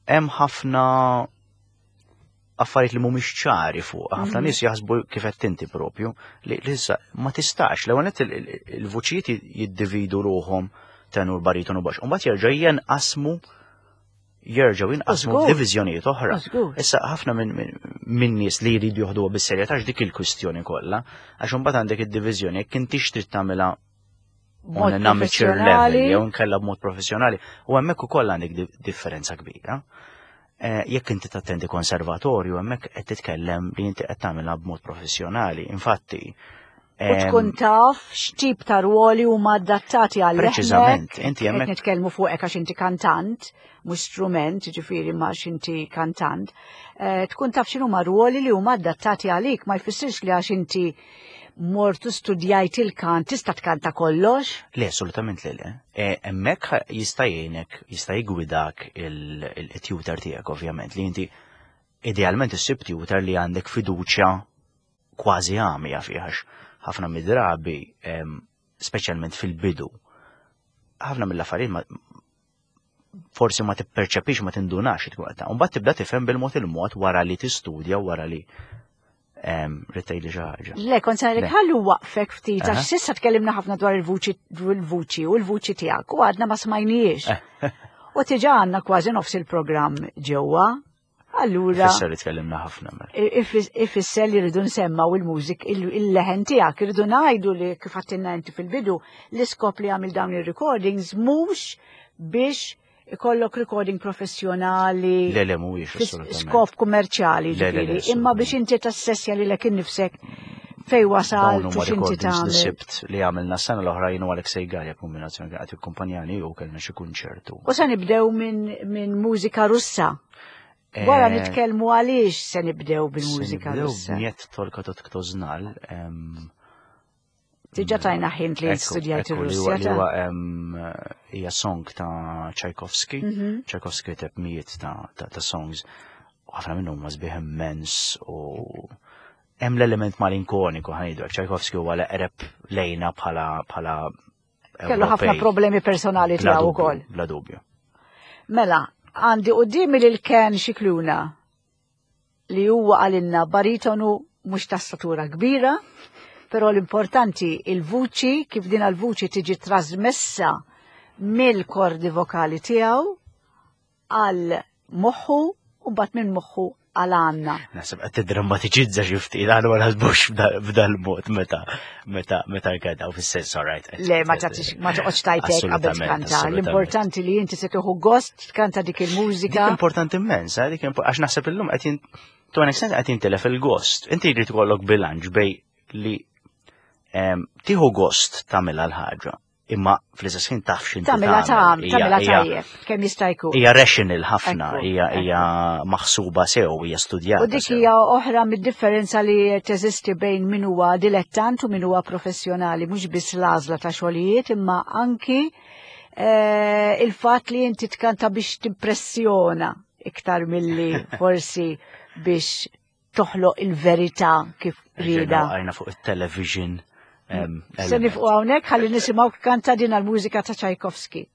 hemm ħafna affarijiet li mhumiex ċari fuq. Ħafna nies jaħsbu kif qed inti propju li issa ma tistax. L-ewwel nett il-vuċijiet jiddividu ruħhom tenur, baritonu, baxx. U mbagħad jerġa' jenqasmu jerġgħu jinqasmu f'diviżjonijiet oħra. Issa ħafna minn nies li jridu joħduha bis-serjetà dik il-kwistjoni kollha, għax imbagħad għandek id-diviżjoni jekk intix trid tagħmilha on an amateur level jew nkella b'mod professjonali, u hemmhekk ukoll għandek differenza kbira. Eh, jekk inti tattendi konservatorju, hemmhekk qed titkellem li inti qed tagħmilha b'mod professjonali. Infatti, U tkun taf x'tip ta' ruoli huma adattati għal Preċiżament, inti hemmhekk nitkellmu fuqek għax inti kantant, mhux strument, ġifieri ma inti kantant. Eh, tkun taf x'inhuma ruoli li huma adattati għalik, ma jfissirx li għax inti mortu studjajt il-kant tista' tkanta kollox? Le, assolutament le, le. E, hemmhekk jista' jgħinek, jista' jgwidak il-tutor tiegħek ovvjament, li inti idealment issib tutor li għandek fiduċja kważi għamja fih għax ħafna mid-drabi, speċjalment fil-bidu, ħafna mill-affarijiet forsi ma tipperċepix, ma tindunax tkun qed. Mbagħad tibda tifhem bil-mod il-mod wara li tistudja, wara li ridt tgħidli xi ħaġa. Le, kont se ngħidlek ħallu waqfek ftit għax s'issa tkellimna ħafna dwar il-vuċi il-vuċi u l-vuċi tiegħek u għadna ma smajniex. U diġà għandna kważi nofs il-programm ġewwa. Allura. Ifisser li tkellimna ħafna mela. Ifisser li rridu nsemmaw il-mużik, il-leħen tiegħek, irridu ngħidu li kif għedtilna inti fil-bidu, l-iskop li għamil dawn il-recordings mhux biex ikollok recording professjonali. Le, le, mhuwiex. Skop kummerċjali, ġifieri, imma biex inti tassessja lilek innifsek fej wasal u x'inti tagħmel. Sibt li għamilna s-sena l-oħra jien u Alexei Gallia kombinazzjoni kien qed u kellna xi kunċertu. U se nibdew minn mużika Russa. Wara nitkellmu għaliex se nibdew bil-mużika Russa. Niet Tolka Tot Kto Znal. Diġà tajna hint li studjajt ir-Russja. Hija song ta' Tchaikovsky. Tchaikovsky kiteb mijiet ta' songs. U ħafna minnhom huma sbieħ immens u hemm l-element malinkoniku ħa ngħidu. Tchaikovsky huwa l-eqreb lejna bħala bħala Kellu ħafna problemi personali tiegħu wkoll. Bla dubju. Mela, għandi qudiemi lil Ken Xikluna li huwa għalinna baritonu mhux ta' statura kbira, però l-importanti il-vuċi, kif din il-vuċi tiġi trasmessa mill-kordi vokali tiegħu għal moħħu u mbagħad minn moħħu għal għandna. Naħseb qed tiddrammatiċizza xi ftit, aħna ma naħsbux b'dal-mod meta meta meta nkanta fis-sens, all right. Le, ma tagħtix ma toqgħodx tajtek qabel tkanta. L-importanti li inti se tieħu gost tkanta dik il-mużika. Dik importanti immens, eh, dik għax naħseb illum qed to an extent qed jintilef il-gost. Inti jrid ikollok bilanċ bej li tieħu gost tagħmilha l-ħaġa. Imma fl-istess ħin taf x'inti Tagħmilha tagħmel. tagħmilha Hija- hija- tajjeb, kemm jista' jkun. Hija rational ħafna, Ekku, hija hija maħsuba sew, hija studjata. U dik sew. hija oħra mid-differenza li teżisti bejn min huwa dilettant u min huwa professjonali, mhux biss l-għażla ta' xogħlijiet, imma anki eh, il-fatt li inti tkanta biex timpressjona iktar milli forsi biex toħloq il-verità kif rieda. Għajna fuq il-television. em, Se element. nifqu hawnhekk ħalli nisimgħu kanta din għall-mużika ta' Tchaikovsky.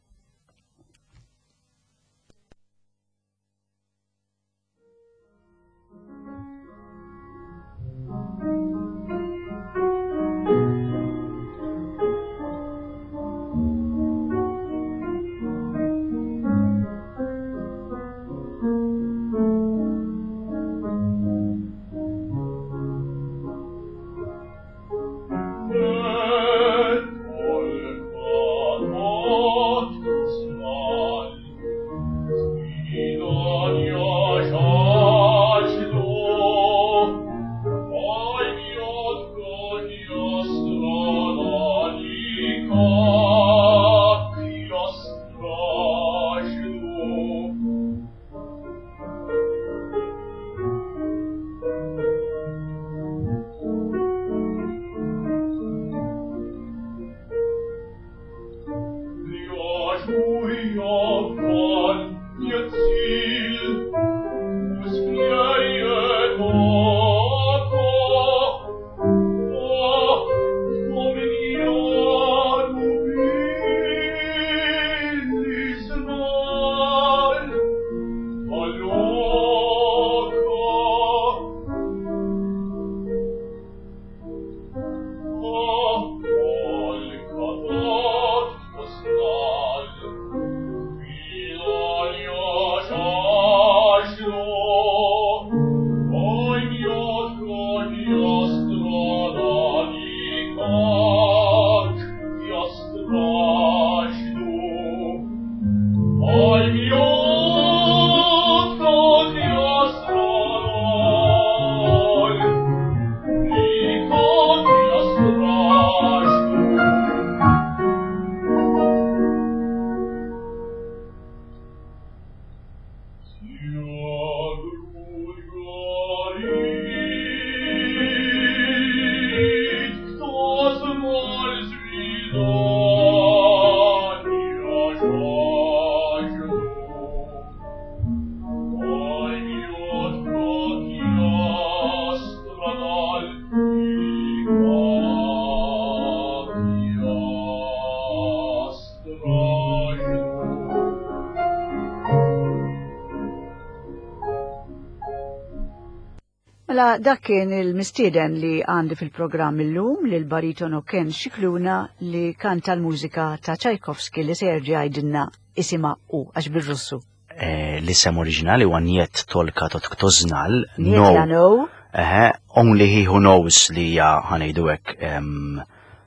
Mela dak kien il-mistieden li għandi fil-programm illum lil baritono Ken Scicluna li kanta l-mużika ta' Tchaikovsky li se jerġa' jgħidilna isimha u għax bil-Russu. Eh, L-isem oriġinali huwa Niet Tolka Tot Kto Znal. Niet ja no. Eħe, Only He Who Knows li hija ħa ngħidu hekk em,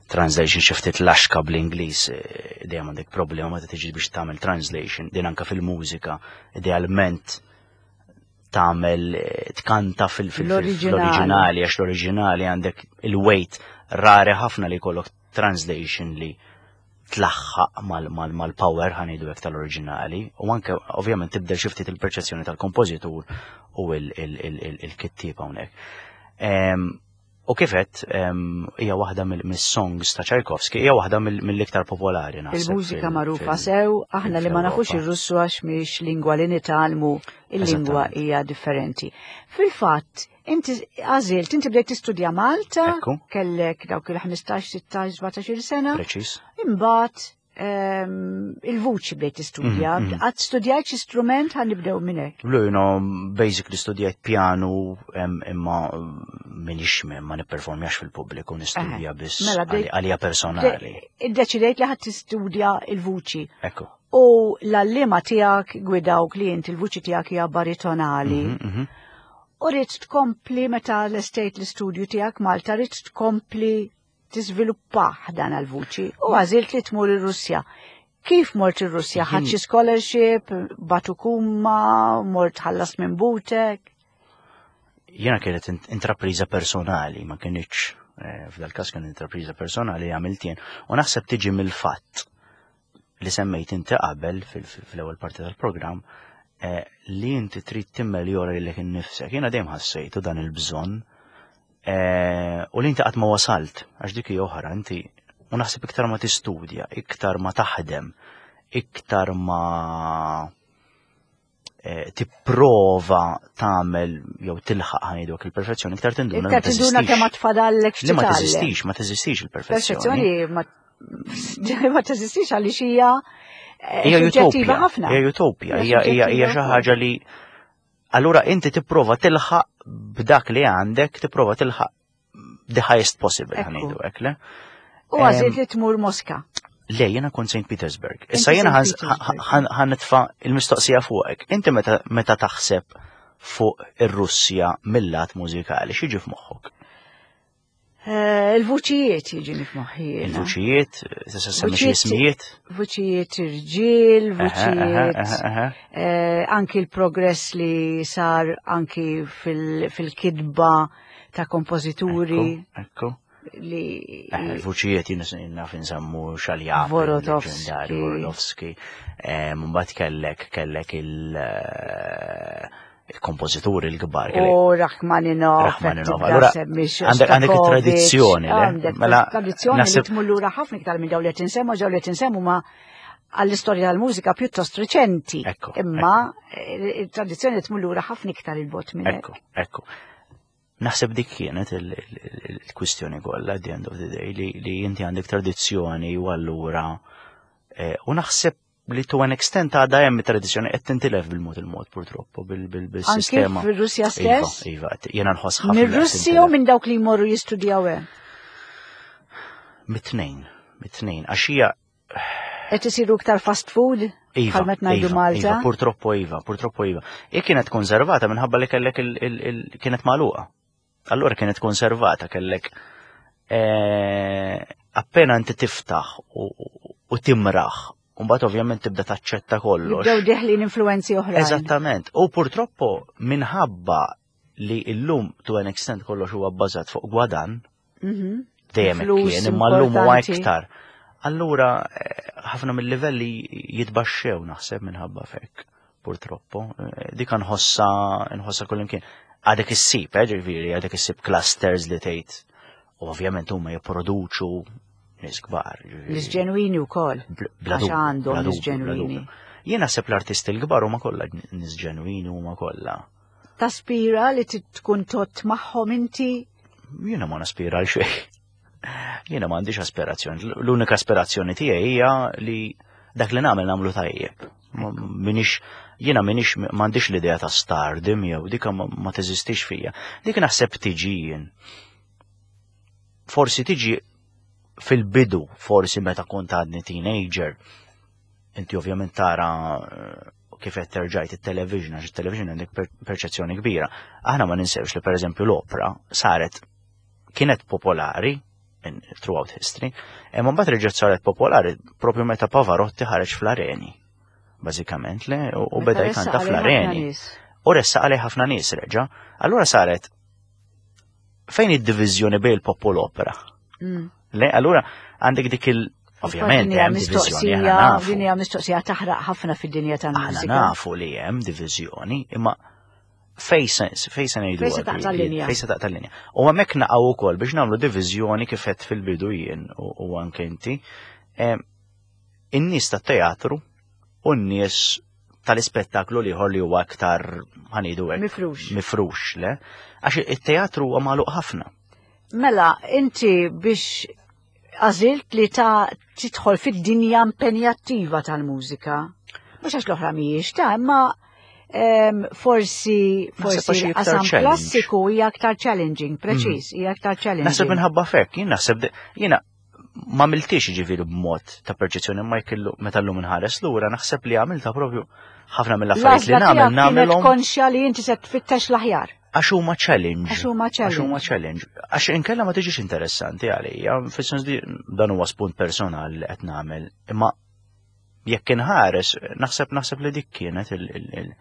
translation xi ftit laxka bl-Ingliż, eh, dejjem għandek problema meta tiġi biex tagħmel translation, din anke fil-mużika, idealment tagħmel eh, tkanta fil- fil- fil- L-oriġinali. fl-oriġinali, għax l-oriġinali għandek il-weight rari ħafna li jkollok translation li tlaħħaq mal-power ħa ngħidu hekk tal-oriġinali u anke ovvjament tibdel xi ftit il-perċezzjoni tal-kompożitur u il-kittieb hawnhekk. Em, U kifet hija waħda mill-songs ta' Tchaikovsky, hija waħda mill-iktar popolari naħseb. Il-mużika fil- magħrufa fil- sew, aħna li ma nafux fil-Ewropa. ir-Russu għax mhix lingwa li nitgħallmu, il-lingwa Eżattament. hija differenti. Fil-fatt, inti għażilt, inti bdejt tistudja Malta, Ekku. kellek dawk il-ħmistax, sittax, sbatax-il sena, Preċis. imbagħad ehm, il-vuċi bdejt tistudja, Mhm, mhm. qatt studjajt xi strument ħa nibdew minn hekk. Lu, you know, basically studjajt pianu em, imma minix ma nipperformjax fil-pubbliku, nistudja biss Mela, bdejt- għali- għalija personali. Iddeċidejt li ħadd tistudja il-vuċi. Ekku. U l-għalliema tiegħek gwidawk li inti il-vuċi tiegħek hija baritonali. Mhm, mhm. U rrid tkompli meta l-estate l-istudju tiegħek Malta, rrid tkompli tiżviluppah dan għal-vuċi. U għażilt li tmur ir-Russja. Kif mort ir-Russja? Ħadt xi scholarship, batukuma, mort ħallas minn butek? Jiena kienet int- intrapriża personali, ma kienx Eh, f'dal każ kien intrapriża personali għamilt jien u naħseb tiġi mill-fatt li semmejt inti qabel fil-ewwel parti tal-programm eh, li inti trid timmeljora lilek innifsek. Jiena dejjem ħassejtu dan il-bżonn eh, u li inti qatt ma wasalt għax dik hija oħra inti u naħseb iktar ma tistudja, iktar ma taħdem, iktar ma eh, tipprova tagħmel jew tilħaq ħa ngħidu il-perfezzjoni, iktar tinduna Iktar tinduna kemm tfadallek. Li ma teżistix, ma teżistix il-perfezzjoni. Perfezzjoni ma ma teżistix għaliex hija eh, Hija suġġettiva utopja, ħafna. hija utopja, Hija hija hija hija xi suġġettiva ħaġa li allura inti tipprova tilħaq b'dak li għandek, tipprova tilħaq the highest possible Ekku. ħa ngħidu hekk, le? U għażilt li tmur Moska. Le, jena kont Saint Petersburg. Issa Inti jena Saint Petersburg. ħa nitfa' il-mistoqsija fuqek. Inti meta meta taħseb fuq ir-Russja mill-lat mużikali, x'jiġi f'moħħok? Eh, Il-vuċijiet jiġini f'moħħi. jiena. Il-vuċijiet, tista' semmi xi Vuċijiet- ismijiet? Vuċijiet irġiel, Aha, aha, vuċijiet aha, aha. eh, anki l-progress li sar anki fil- fil-kidba ta' kompożituri Ekku, ekku. li Eh, Il-vuċijiet jien naf insemmu Xaljapin, Vorotovski. leġendarju Vorotovski. Eh, Mbagħad kellek kellek il- eh, il-kompożituri l-kbar. kellek u Rachmaninov, Rachmaninov. Allura, għandek- għandek it-tradizzjoni, le? Għandek Mela, tradizzjoni li naħseb- tmur lura ħafna iktar minn dawn li qed insemmu, dawn li qed insemmu ma għall-istorja tal-mużika pjuttost reċenti. Ekku, Imma eh, il-tradizzjoni tmur lura ħafna iktar il-bot minn hekk. Ekku, ekku. Naħseb dik kienet il- il- il-kwistjoni kollha at the end of the day li, li inti għandek tradizzjoni u allura eh, u naħseb li to an extent għadha hemm tradizzjoni qed tintilef bil-mod il-mod purtroppo bil- bil- Anki bil-sistema. fir-Russja stess? Iva, iva, jiena nħoss ħafna. li qed Mir-Russi u tintilef. minn dawk li jmorru jistudjaw hemm. Mit-tnejn, mit-tnejn, għax hija Qed isiru iktar fast food Iva, bħal meta ngħidu iva, Malta. Iva, purtroppo iva, purtroppo iva. I kienet konservata minħabba li kellek il, il, il, kienet magħluqa. Allura kienet konservata kellek eh, appena inti tiftaħ u, u, u timraħ, u mbagħad ovvjament tibda taċċetta kollox. Jibdew deħlin influenzi oħrajn. Eżattament. U purtroppo minħabba li illum to an extent kollox huwa bbażat fuq gwadan, Mhm. dejjem hekk Flus kien, imma llum huwa importanti. iktar. Allura eh, ħafna mill-livelli jitbaxxew naħseb minħabba fek, purtroppo. Eh, Dik nħossa nħossa kullimkien. Għadek issib, eh, ġifieri, għadek issib clusters li tgħid. U ovvjament huma jipproduċu nies kbar. ġifieri. Nies ġenwini wkoll. Bla- bla Għax dubju, għandhom bla nies dubju, bla ġenwini. dubju. Jien naħseb l-artisti l-kbar huma kollha nies ġenwini huma kollha. Taspira li tkun tot magħhom inti? Jiena ma naspira għal xejn. Jiena m'għandix aspirazzjoni. L-unika aspirazzjoni tiegħi hija li dak li nagħmel nagħmlu tajjeb. Ma- Minix jiena minix m'għandix l-idea ta' stardom jew dik ma, ma teżistix fija. Dik naħseb tiġi jien. Forsi tiġi fil-bidu, forsi meta kont għadni teenager. Inti ovvjament tara eh, kif qed terġajt it-television, għax it-television għandek per perċezzjoni kbira. Aħna ma ninsewx li pereżempju l-opra saret kienet popolari in, throughout history, imma mbagħad reġgħet saret popolari propju meta Pavarotti ħareġ fl-areni. Bażikament le, u, u Meta beda ressaq jkanta għalih ħafna fl-areni. nies. U ressaq għalih ħafna nies reġa'. Allura saret fejn id-diviżjoni bejn il-pop u l-opera? Mm. Le, allura għandek dik il- Ovvjament Din hija hemm diviżjoni, aħna mistoqsija, nafu. din hija mistoqsija taħraq ħafna fid-dinja Aħna tal-mużika. nafu li hemm diviżjoni, imma fej se fej se ngħidu Fej se taqta' l-linja. Fej se taqta' l-linja. U hemmhekk naqgħu wkoll biex nagħmlu diviżjoni kif qed fil-bidu jien u, u anke inti. Em, In-nies tat-teatru u n-nies tal-ispettaklu l-ieħor li huwa aktar ħa ngħidu hekk. Mifrux. Mifrux, le? Għax it-teatru huwa magħluq ħafna. Mela, inti biex għażilt li ta' tidħol fid-dinja impenjattiva tal-mużika. Mhux għax l-oħra mhijiex ta' imma em, forsi Naħseb forsi għax hija iktar l-qasam challenge. klassiku hija aktar challenging, preċiż, hija aktar challenging. Naħseb minħabba fek, jien naħseb de- jiena ma għamiltix ġifieri b'mod ta' perċezzjoni ma jkellu meta llum inħares lura naħseb li għamilta propju ħafna mill-affarijiet li L-għażla nagħmel tiegħek kienet nagħmelhom konxja li inti se tfittex l-aħjar. għax huma challenge. Għax huma Għax huma challenge. challenge. Għax inkella ma tiġix interessanti għalija, fis-sens li dan huwa spunt personali li qed nagħmel, imma jekk inħares, naħseb naħseb li dik kienet il, il, il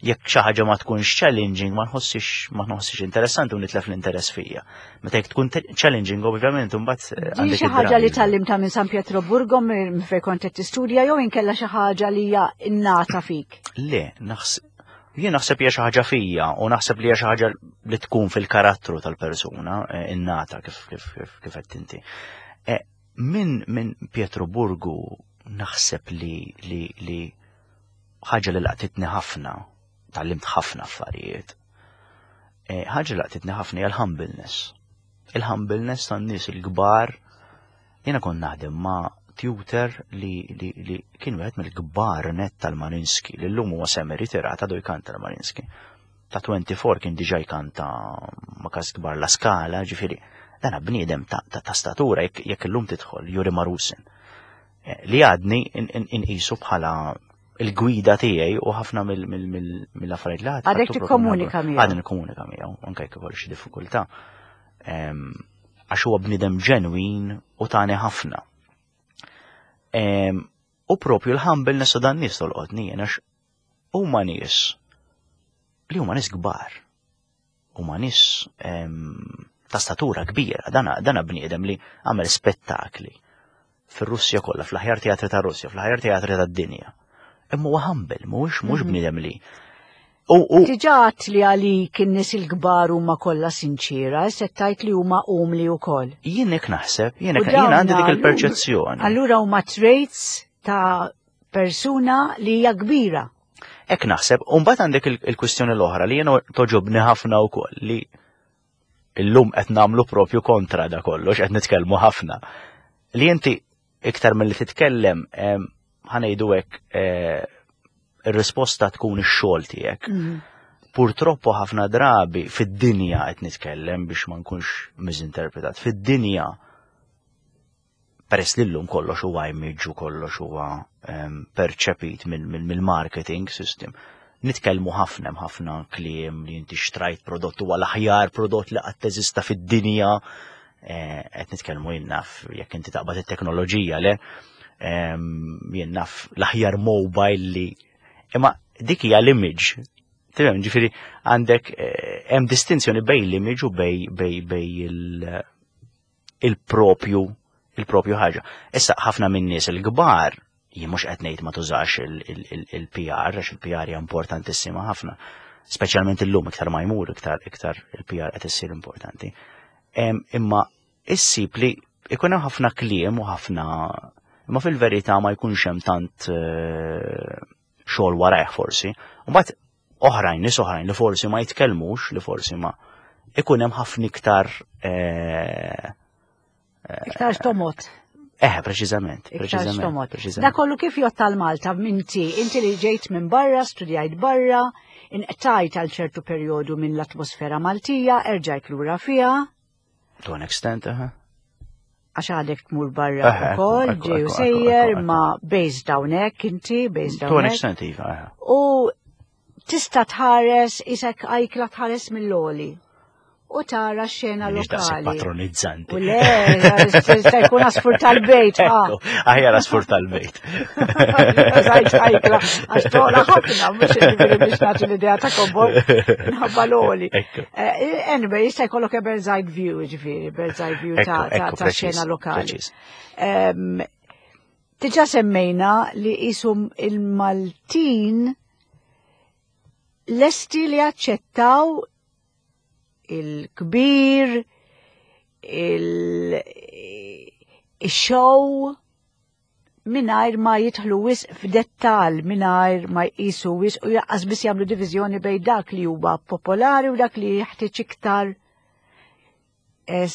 Jekk xi ħaġa ma tkunx challenging, ma nħossix ma nħossix interessanti u nitlef l-interess fija. Meta jekk tkun te- challenging, ovvjament, imbagħad eh, Din għandek xi ħaġa li id-drive. tgħallimtha minn San Pietroburgo, minn fejn kont qed tistudja, jew inkella xi ħaġa li hija innata fik? Le, naħseb jien naħseb hija xi ħaġa fija u naħseb li hija xi ħaġa li tkun fil-karattru tal-persuna, eh, innata kif kif kif kif qed inti. Eh, Min min Pietroburgu naħseb li li li ħaġa li laqtitni ħafna, tgħallimt ħafna affarijiet. Eh, Ħaġa li laqtitni ħafna hija l-humbleness. Il-humbleness tan-nies il-kbar. Jiena kont naħdem ma' tutor li, li, li kien wieħed mill-kbar net tal-Mariinsky, li llum huwa semi ritirat, għadu jkanta l-Mariinsky. Ta' twenty-four kien diġà jkanta ma' cast kbar La Scala, ġifieri, dana bniedem ta', ta, ta statura, jekk jekk illum tidħol Yuri Marusin. Eh, Li għadni inqisu bħala il-gwida tiegħi u ħafna mill-affarijiet li għad. Għadek tikkomunika miegħu. Għadni nikkomunika miegħu, anke jekk ikolli xi diffikultà. Em, Għax huwa bniedem ġenwin u tani ħafna. Em, U propju l-humbleness ta' dan nies tolqotni jien, għax huma nies li huma nies kbar. Huma nies em, ta' statura kbira, dana, dana bniedem li għamel spettakli fir-Russja kollha, fl-aħjar teatri ta' Russja, fl-aħjar teatri tad-dinja. Imma huwa humble, mhuwiex mhux bniedem li. U u Diġà għedt li għalik in-nies il-kbar huma kollha sinċira, se tgħid li huma umli wkoll. Jien hekk naħseb, jien U hekk jien għandi dik dawn il-perċezzjoni. Allura huma traits ta' persuna li hija kbira. Hekk naħseb, u mbagħad għandek il- il-kwistjoni l-oħra li jiena togħġobni ħafna wkoll, li illum qed nagħmlu propju kontra da kollox, qed nitkellmu ħafna. Li inti iktar milli titkellem, em, ħa ngħidu hekk, eh, ir-risposta tkun ix-xogħol tiegħek. Purtroppo ħafna drabi fid-dinja qed nitkellem biex ma nkunx misinterpretat. Fid-dinja, peress li llum kollox huwa image u kollox huwa em, perċepit mill-marketing system. Nitkellmu ħafna, hemm ħafna kliem li inti xtrajt prodott, huwa l-aħjar prodott li qatt teżista fid-dinja. Eh, Qed nitkellmu, jien naf, jekk inti taqbad it-teknoloġija, le em, jien naf, l-aħjar mobile li, imma dik hija l-image. Tifhem, ġifieri għandek eh, hemm distinzjoni bejn l-image u bej bej bej il- il-propju il-propju ħaġa. Issa ħafna minn nies il-kbar, jien mhux qed ngħid ma tużax il-P R, għax il-P R hija importantissima ħafna. Speċjalment illum, iktar ma jmur iktar iktar il-P R qed issir importanti. Em, Imma issib li ikun hemm ħafna kliem u ħafna, imma fil-verità ma jkunx hemm tant eh, xogħol warajh forsi. U mbagħad oħrajn, nies oħrajn li forsi ma jitkellmux, li forsi ma ikun hemm ħafna iktar eh, Iktar tomot. Eh, preċiżament, Iktar preċiżament, tomot. preċiżament. Da kollu kif jgħodd għal Malta minti, inti li ġejt minn barra, studjajt barra, inqtajt għal ċertu perjodu minn l-atmosfera Maltija, erġajt lura fiha, To an extent, aha. għax għadek tmur barra Eħe, ukoll, ekku, ġej u ekku, sejjer, ekku, ekku. ma based hawnhekk inti, based To an hawnhekk. extent, iva, aha. U tista' tħares, isek għajkla tħares mill-għoli u tara xena M'iniex daqshekk lokali. patronizzanti. U le, jista' jkun għasfur tal-bejt, ha. Ekku, aħjar għasfur tal-bejt. Zajt għajkla, għax tola ħafna, mhux ġifieri biex nagħti l-idea ta' kobor, minħabba l-għoli. Ekku. Eh, Anyway, jista' jkollok a bird's eye view, ġifieri, bird's eye view ta' Ekku, ta' ekku, ta' preċiż, xena lokali. preċiż. Em, Diġà semmejna li jisum il-Maltin lesti li aċċettaw il-kbir, il-show, mingħajr ma jidħlu wisq f'dettal, mingħajr ma jqisu wisq u lanqas biss jagħmlu diviżjoni bejn dak li huwa popolari u dak li jeħtieġ iktar eh,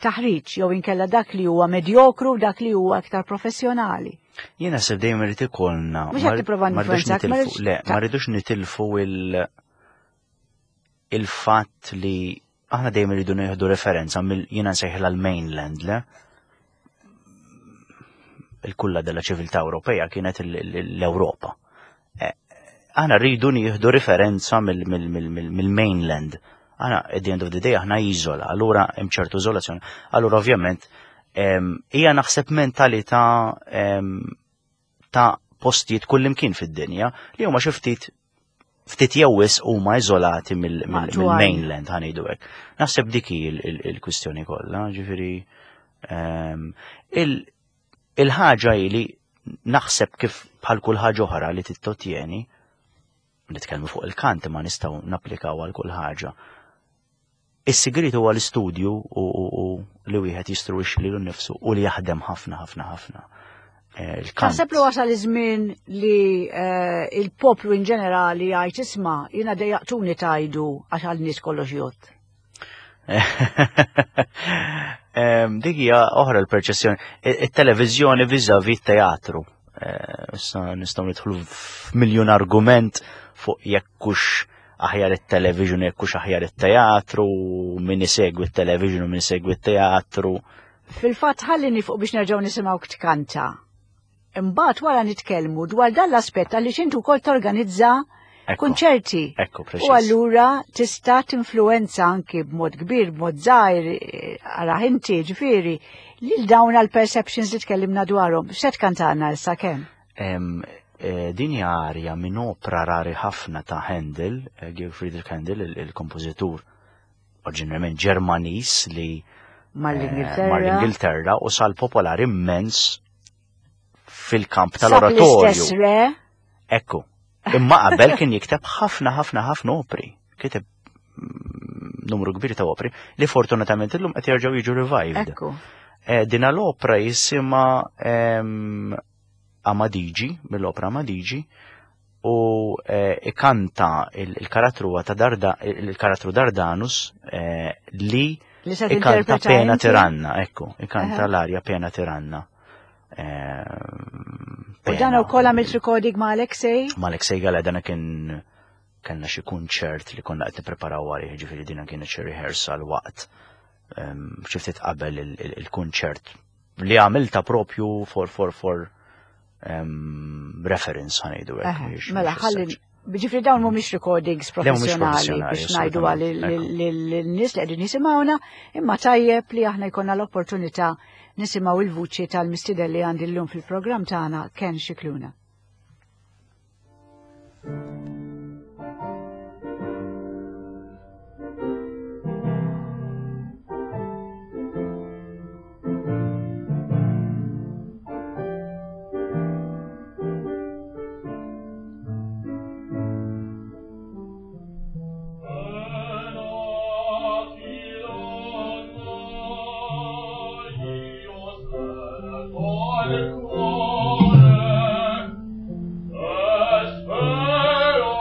taħriġ, jew inkella dak li huwa medjokru u dak li huwa iktar professjonali. Jiena naħseb dejjem irid ikollna. Mhux qed tipprova ma rridux ninfluwenzak, ma nitilfu, rridx- le, ma rridux nitilfu il il-fatt li aħna dejjem irridu nieħdu referenza mill, jiena nsejħilha l-mainland, le? Il-kulla della ċiviltà Ewropea kienet il- il- l-Ewropa. Eh, Aħna rridu nieħdu referenza mill-mainland. Aħna, at the end of the day, aħna iżola, allura hemm ċertu iżolazzjoni. Allura ovvjament em, hija naħseb mentalità em, ta' postijiet kullimkien fid-dinja li huma xi ftit ftit jew wisq huma iżolati mill-mainland, ħa ngħidu hekk. Naħseb dik hi il-kwistjoni kollha, ġifieri ehm, il-ħaġa hi li naħseb kif bħal kull ħaġa oħra li tittotjeni, nitkellmu fuq il-kant ma nistgħu napplikaw għal kull ħaġa. Is-sigriet huwa l-istudju u li wieħed jistruwix lilu nnifsu u li jaħdem ħafna ħafna ħafna. Eh, Taħseb li wasal iż-żmien li eh, il-poplu in ġenerali jgħid isma' jiena dejjaqtuni tajdu għax għal nies kollox jgħod. Dik hija oħra l-perċezzjoni. It-televiżjoni vis-à-vis teatru. Eh, issa nistgħu nidħlu f'miljun argument fuq jekk hux aħjar it-television, jekk hux aħjar it-teatru, min isegwi it-television u min isegwi it-teatru. Fil-fatt ħalli nieqfu biex nerġgħu nisimgħu tkanta. Imbagħad wara nitkellmu dwar dan l-aspett għaliex intu wkoll torganizza kunċerti. Ekku, U allura tista' tinfluenza anki b'mod kbir, b'mod żgħir, ara inti ġifieri, lil dawn għal perceptions li tkellimna dwarhom. X'se tkantana issa kemm? Eh, din hija arja minn opra rari ħafna ta' Handel, eh, Georg Friedrich Handel, il-kompożitur oriġinarjament Ġermaniż li Mal-Ingilterra. Mal-Ingilterra u sal popolari immens fil-kamp tal-oratorju. Ekku. Imma qabel kien jikteb ħafna ħafna ħafna opri. Kiteb mm, numru kbir ta' opri li fortunatament illum qed jerġgħu jiġu revived. Ekku. Eh, dina l-opra jisimha Amadigi, mill-opra Amadigi, u eh, ikanta il-karattru ta' Darda, il-karattru Dardanus eh, li ikanta Pena Tiranna, ekku, ikanta l-arja Pena Tiranna. U dan ukoll għamilt recording ma' Alexei? Ma' Alexei Gala, dana kien kellna xi kunċert li konna qed nippreparaw għalih, ġifieri dina kienet xi rehearsal waqt xi ftit qabel il-kunċert li għamilta propju for for for reference ħa ngħidu hekk. Mela, ħalli Ġifieri dawn mhumiex recordings professjonali biex ngħidu għal lin-nies li qegħdin jisimgħuna, imma tajjeb li aħna jkollna l-opportunità nisimgħu il-vuċi tal-mistieden li għandi llum fil-programm tagħna Ken Scicluna. Cuore, e spero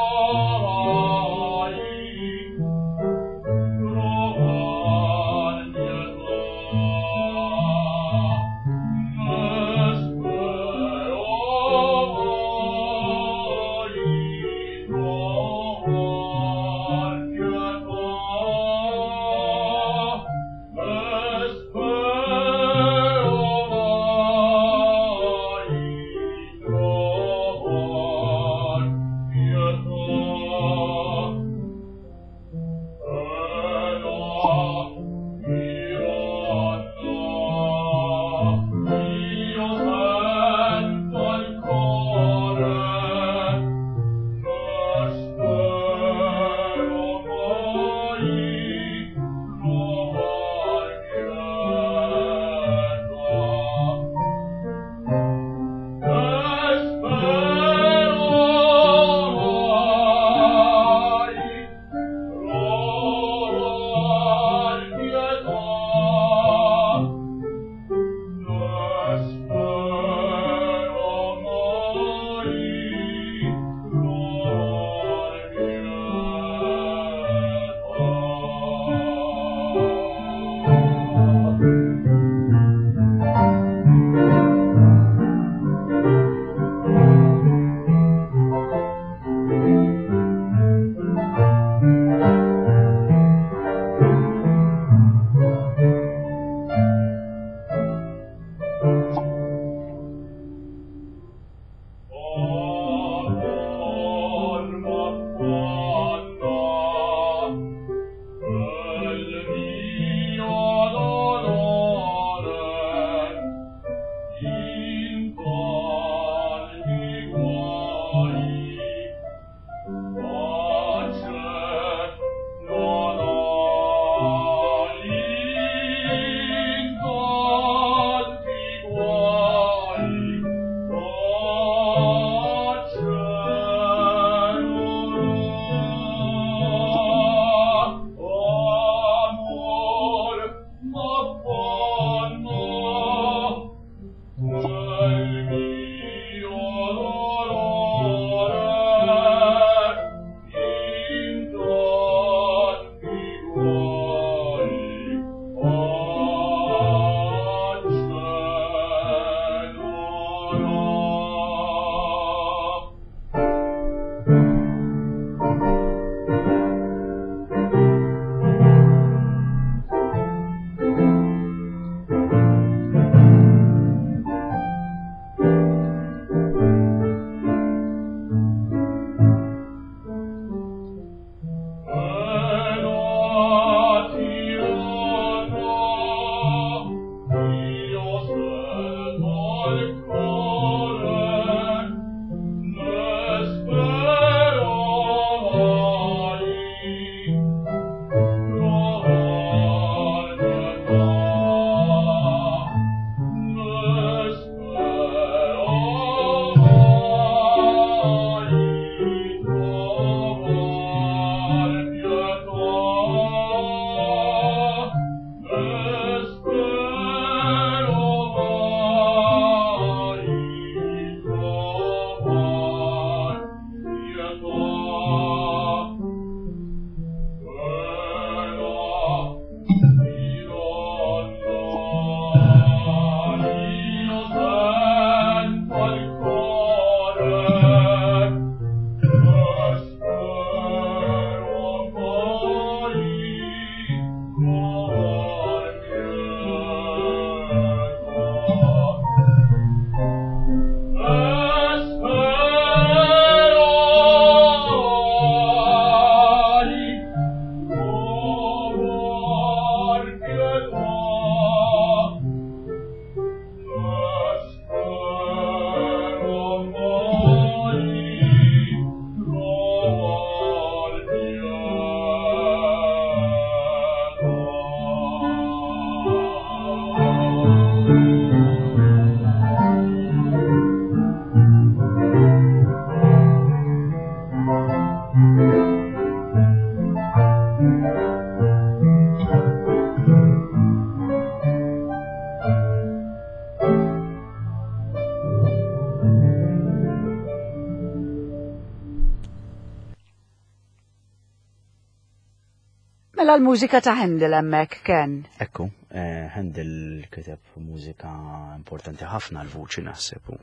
Mela l-mużika ta' Handel hemmhekk Ken. Ekku, eh, Handel kiteb mużika importanti ħafna l-vuċi naħseb u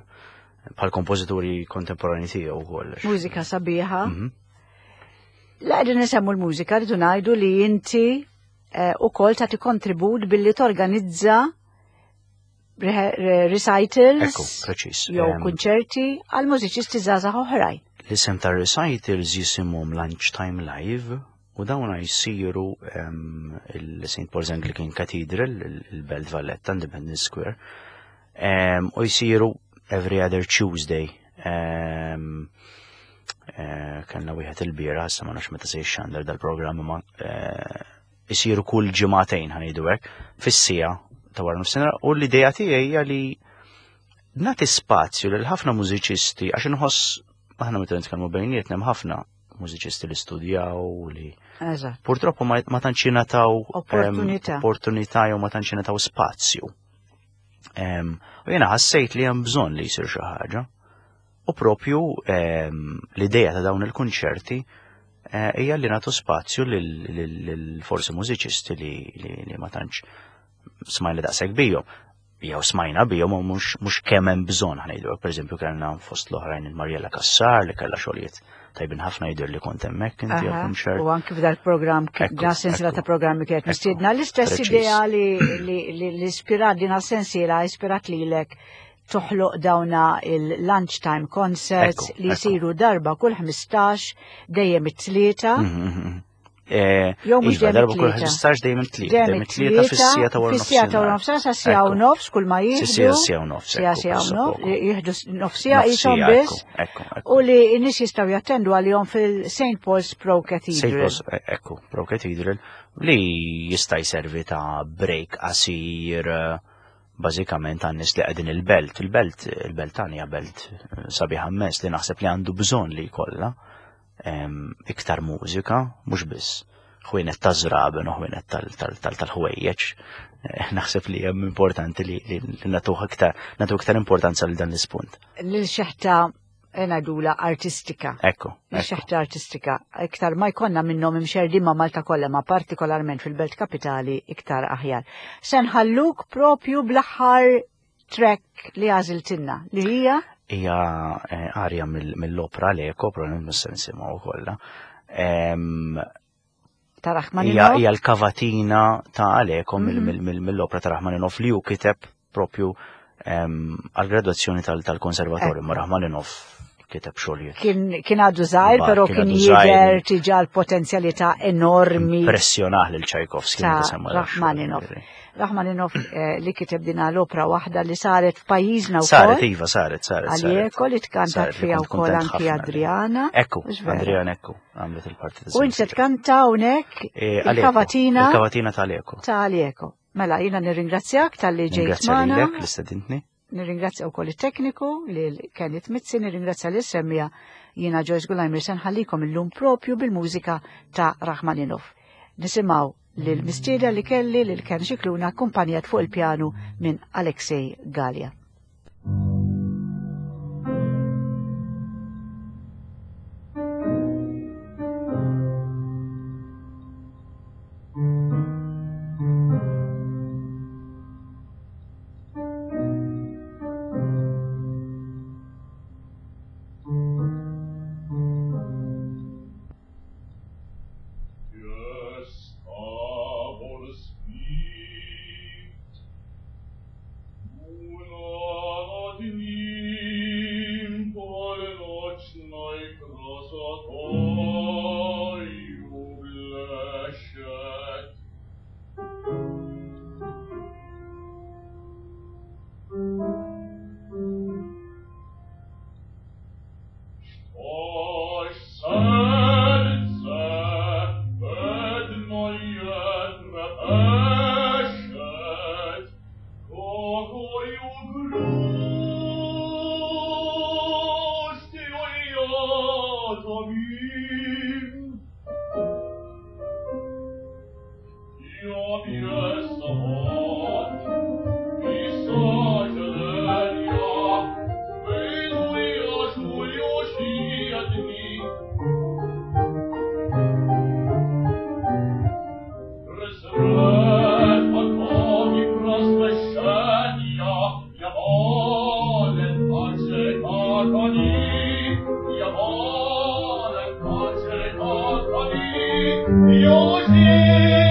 bħal kompożituri kontemporani tiegħu wkoll. Mużika sabiħa. Mhm. La qegħdin nisemmu l-mużika rridu ngħidu li inti eh, ukoll tagħti kontribut billi torganizza re- re- recitals Ekku, preċis. jew Em, kunċerti għal mużiċisti żgħażagħ oħrajn. L-isem ta' recitals jisimhom Lunchtime Live u dawn jsiru em, il-Saint Paul's Anglican Cathedral, il- il-Belt Valletta, Independence Square, em, u jsiru every other Tuesday. Em, eh, Kellna wieħed il-bieraħ, issa ma nafx meta se jixxandar dal-programm, ma eh, jsiru kull ġimagħtejn ħa ngħidu hekk, fis-siegħa ta' wara nofsinhar, u l-idea tiegħi hija li nagħti spazju lil ħafna mużiċisti għax inħoss aħna meta nitkellmu bejnietna hemm ħafna mużiċisti li studjaw li Eżatt. purtroppo ma, ma tantx jingħataw em, Opportunità. opportunità jew ma tantx jingħataw spazju. Em, U jiena ħassejt li hemm bżonn li jsir xi ħaġa. U propju em, l-idea ta' dawn il-kunċerti eh, hija li nagħtu spazju lil lil- lil forsi mużiċisti li, li, li ma tantx smajna daqshekk bihom. Jew smajna bihom u mhux mhux kemm hemm bżonn ħa ngħidu. Pereżempju kellna fost l-oħrajn il-Mariella Cassar li kellha xogħlijiet tajbin ħafna jidher li kont hemmhekk inti Aha, għall-kunċert. U anki f'dal-programm, Ekku, dan sensiela ekku. ta' programmi kienet Ekku, mistiedna. L-istess preċiż. idea li li li li ispirat din sensiela ispirat lilek toħloq dawna il-lunchtime concerts Ekku, li ekku. jsiru darba kull ħmistax dejjem it-tlieta. Mhm, mhm. Eh, Jew mhux Iva, dejjem darba kull it-tlieta. ħmistax dejjem it-tlieta, Dejjem dejjem it-tlieta fis-siegħa ta' wara Fis-siegħa ta' wara nofsinhar. nofsinhar sa siegħa u Ekku. nofs kull ma jieħdu. Siegħa siegħa u nofs, Siegħa ekku, siegħa u presso nofs, poco. jieħdu nofs siegħa qishom Nofs siegħa, biss. Ekku, ekku. U li n-nies jistgħu jattendu għalihom fil-Saint Paul's Pro Saint Cathedral. Paul's, eh, ekku, Pro Cathedral, li jista' jservi ta' break qasir, eh, bażikament għan-nies li qegħdin il-belt. Il-belt, il-belt tagħna hija belt eh, sabiħa immens li naħseb li għandu bżonn li jkollha em, iktar mużika, mhux biss ħwienet ta' żraben u ħwienet tal-ħwejjeġ. Eh, Naħseb li hemm importanti li li li nagħtuh iktar nagħtu iktar importanza lil dan l-ispunt. Lil xeħta ngħidula artistika. Ekku, Lil ekku. xeħta artistika. Iktar ma jkollna minnhom imxerdin ma' Malta kollha, ma partikolarment fil-Belt Kapitali iktar aħjar. Se nħalluk propju bl-aħħar track li għażiltilna li hija Hija eh, arja mill- mill-opra Aleko, probabbilment mhux se nisimgħu kollha. Em, ta' Hija Rachmaninoff. hija l-kavatina ta' Aleko mill- Mhm. mill- mill- mill-opra ta' Rachmaninoff li hu kiteb propju em, għall-gradwazzjoni tal- tal-konservatorju, ma Rachmaninoff kiteb xogħlijiet. Kien kien għadu żgħir, Iva, però kien kien għadu żgħir. jidher diġà l-potenzjalità enormi Impressjonah lil Tchaikovsky ta' meta semma da xogħol, Rachmaninoff. ġifieri. Rachmaninoff eh, li kiteb din l-opra waħda li saret f'pajjiżna wkoll. Saret, iva, saret, saret. saret. Għaljeko li tkantat Saret, li fiha kont wkoll kuntent anki ħafna li- Adriana. Ekku, Mhux vera. Adriana, ekku, għamlet il-parti ta' U inti se tkanta hawnhekk Eh, Aleko, il-kavatina Il-kavatina ta' Aleko. ta' Aleko. Mela, jiena nirringrazzjak talli ġejt Ringrazzja magħna. lilek li stedintni. Nirringrazzja wkoll it-tekniku lil Kenneth Mizzi, nirringrazzja lil semmija jiena Joyce Gulajmir se nħallikom illum propju bil-mużika ta' Rachmaninoff. Nisimgħu lil mistieda li kelli lil Ken Scicluna akkumpanjat fuq il-pjanu minn Alexei Gallia. Yes, aber es gibt. Una Юзеф.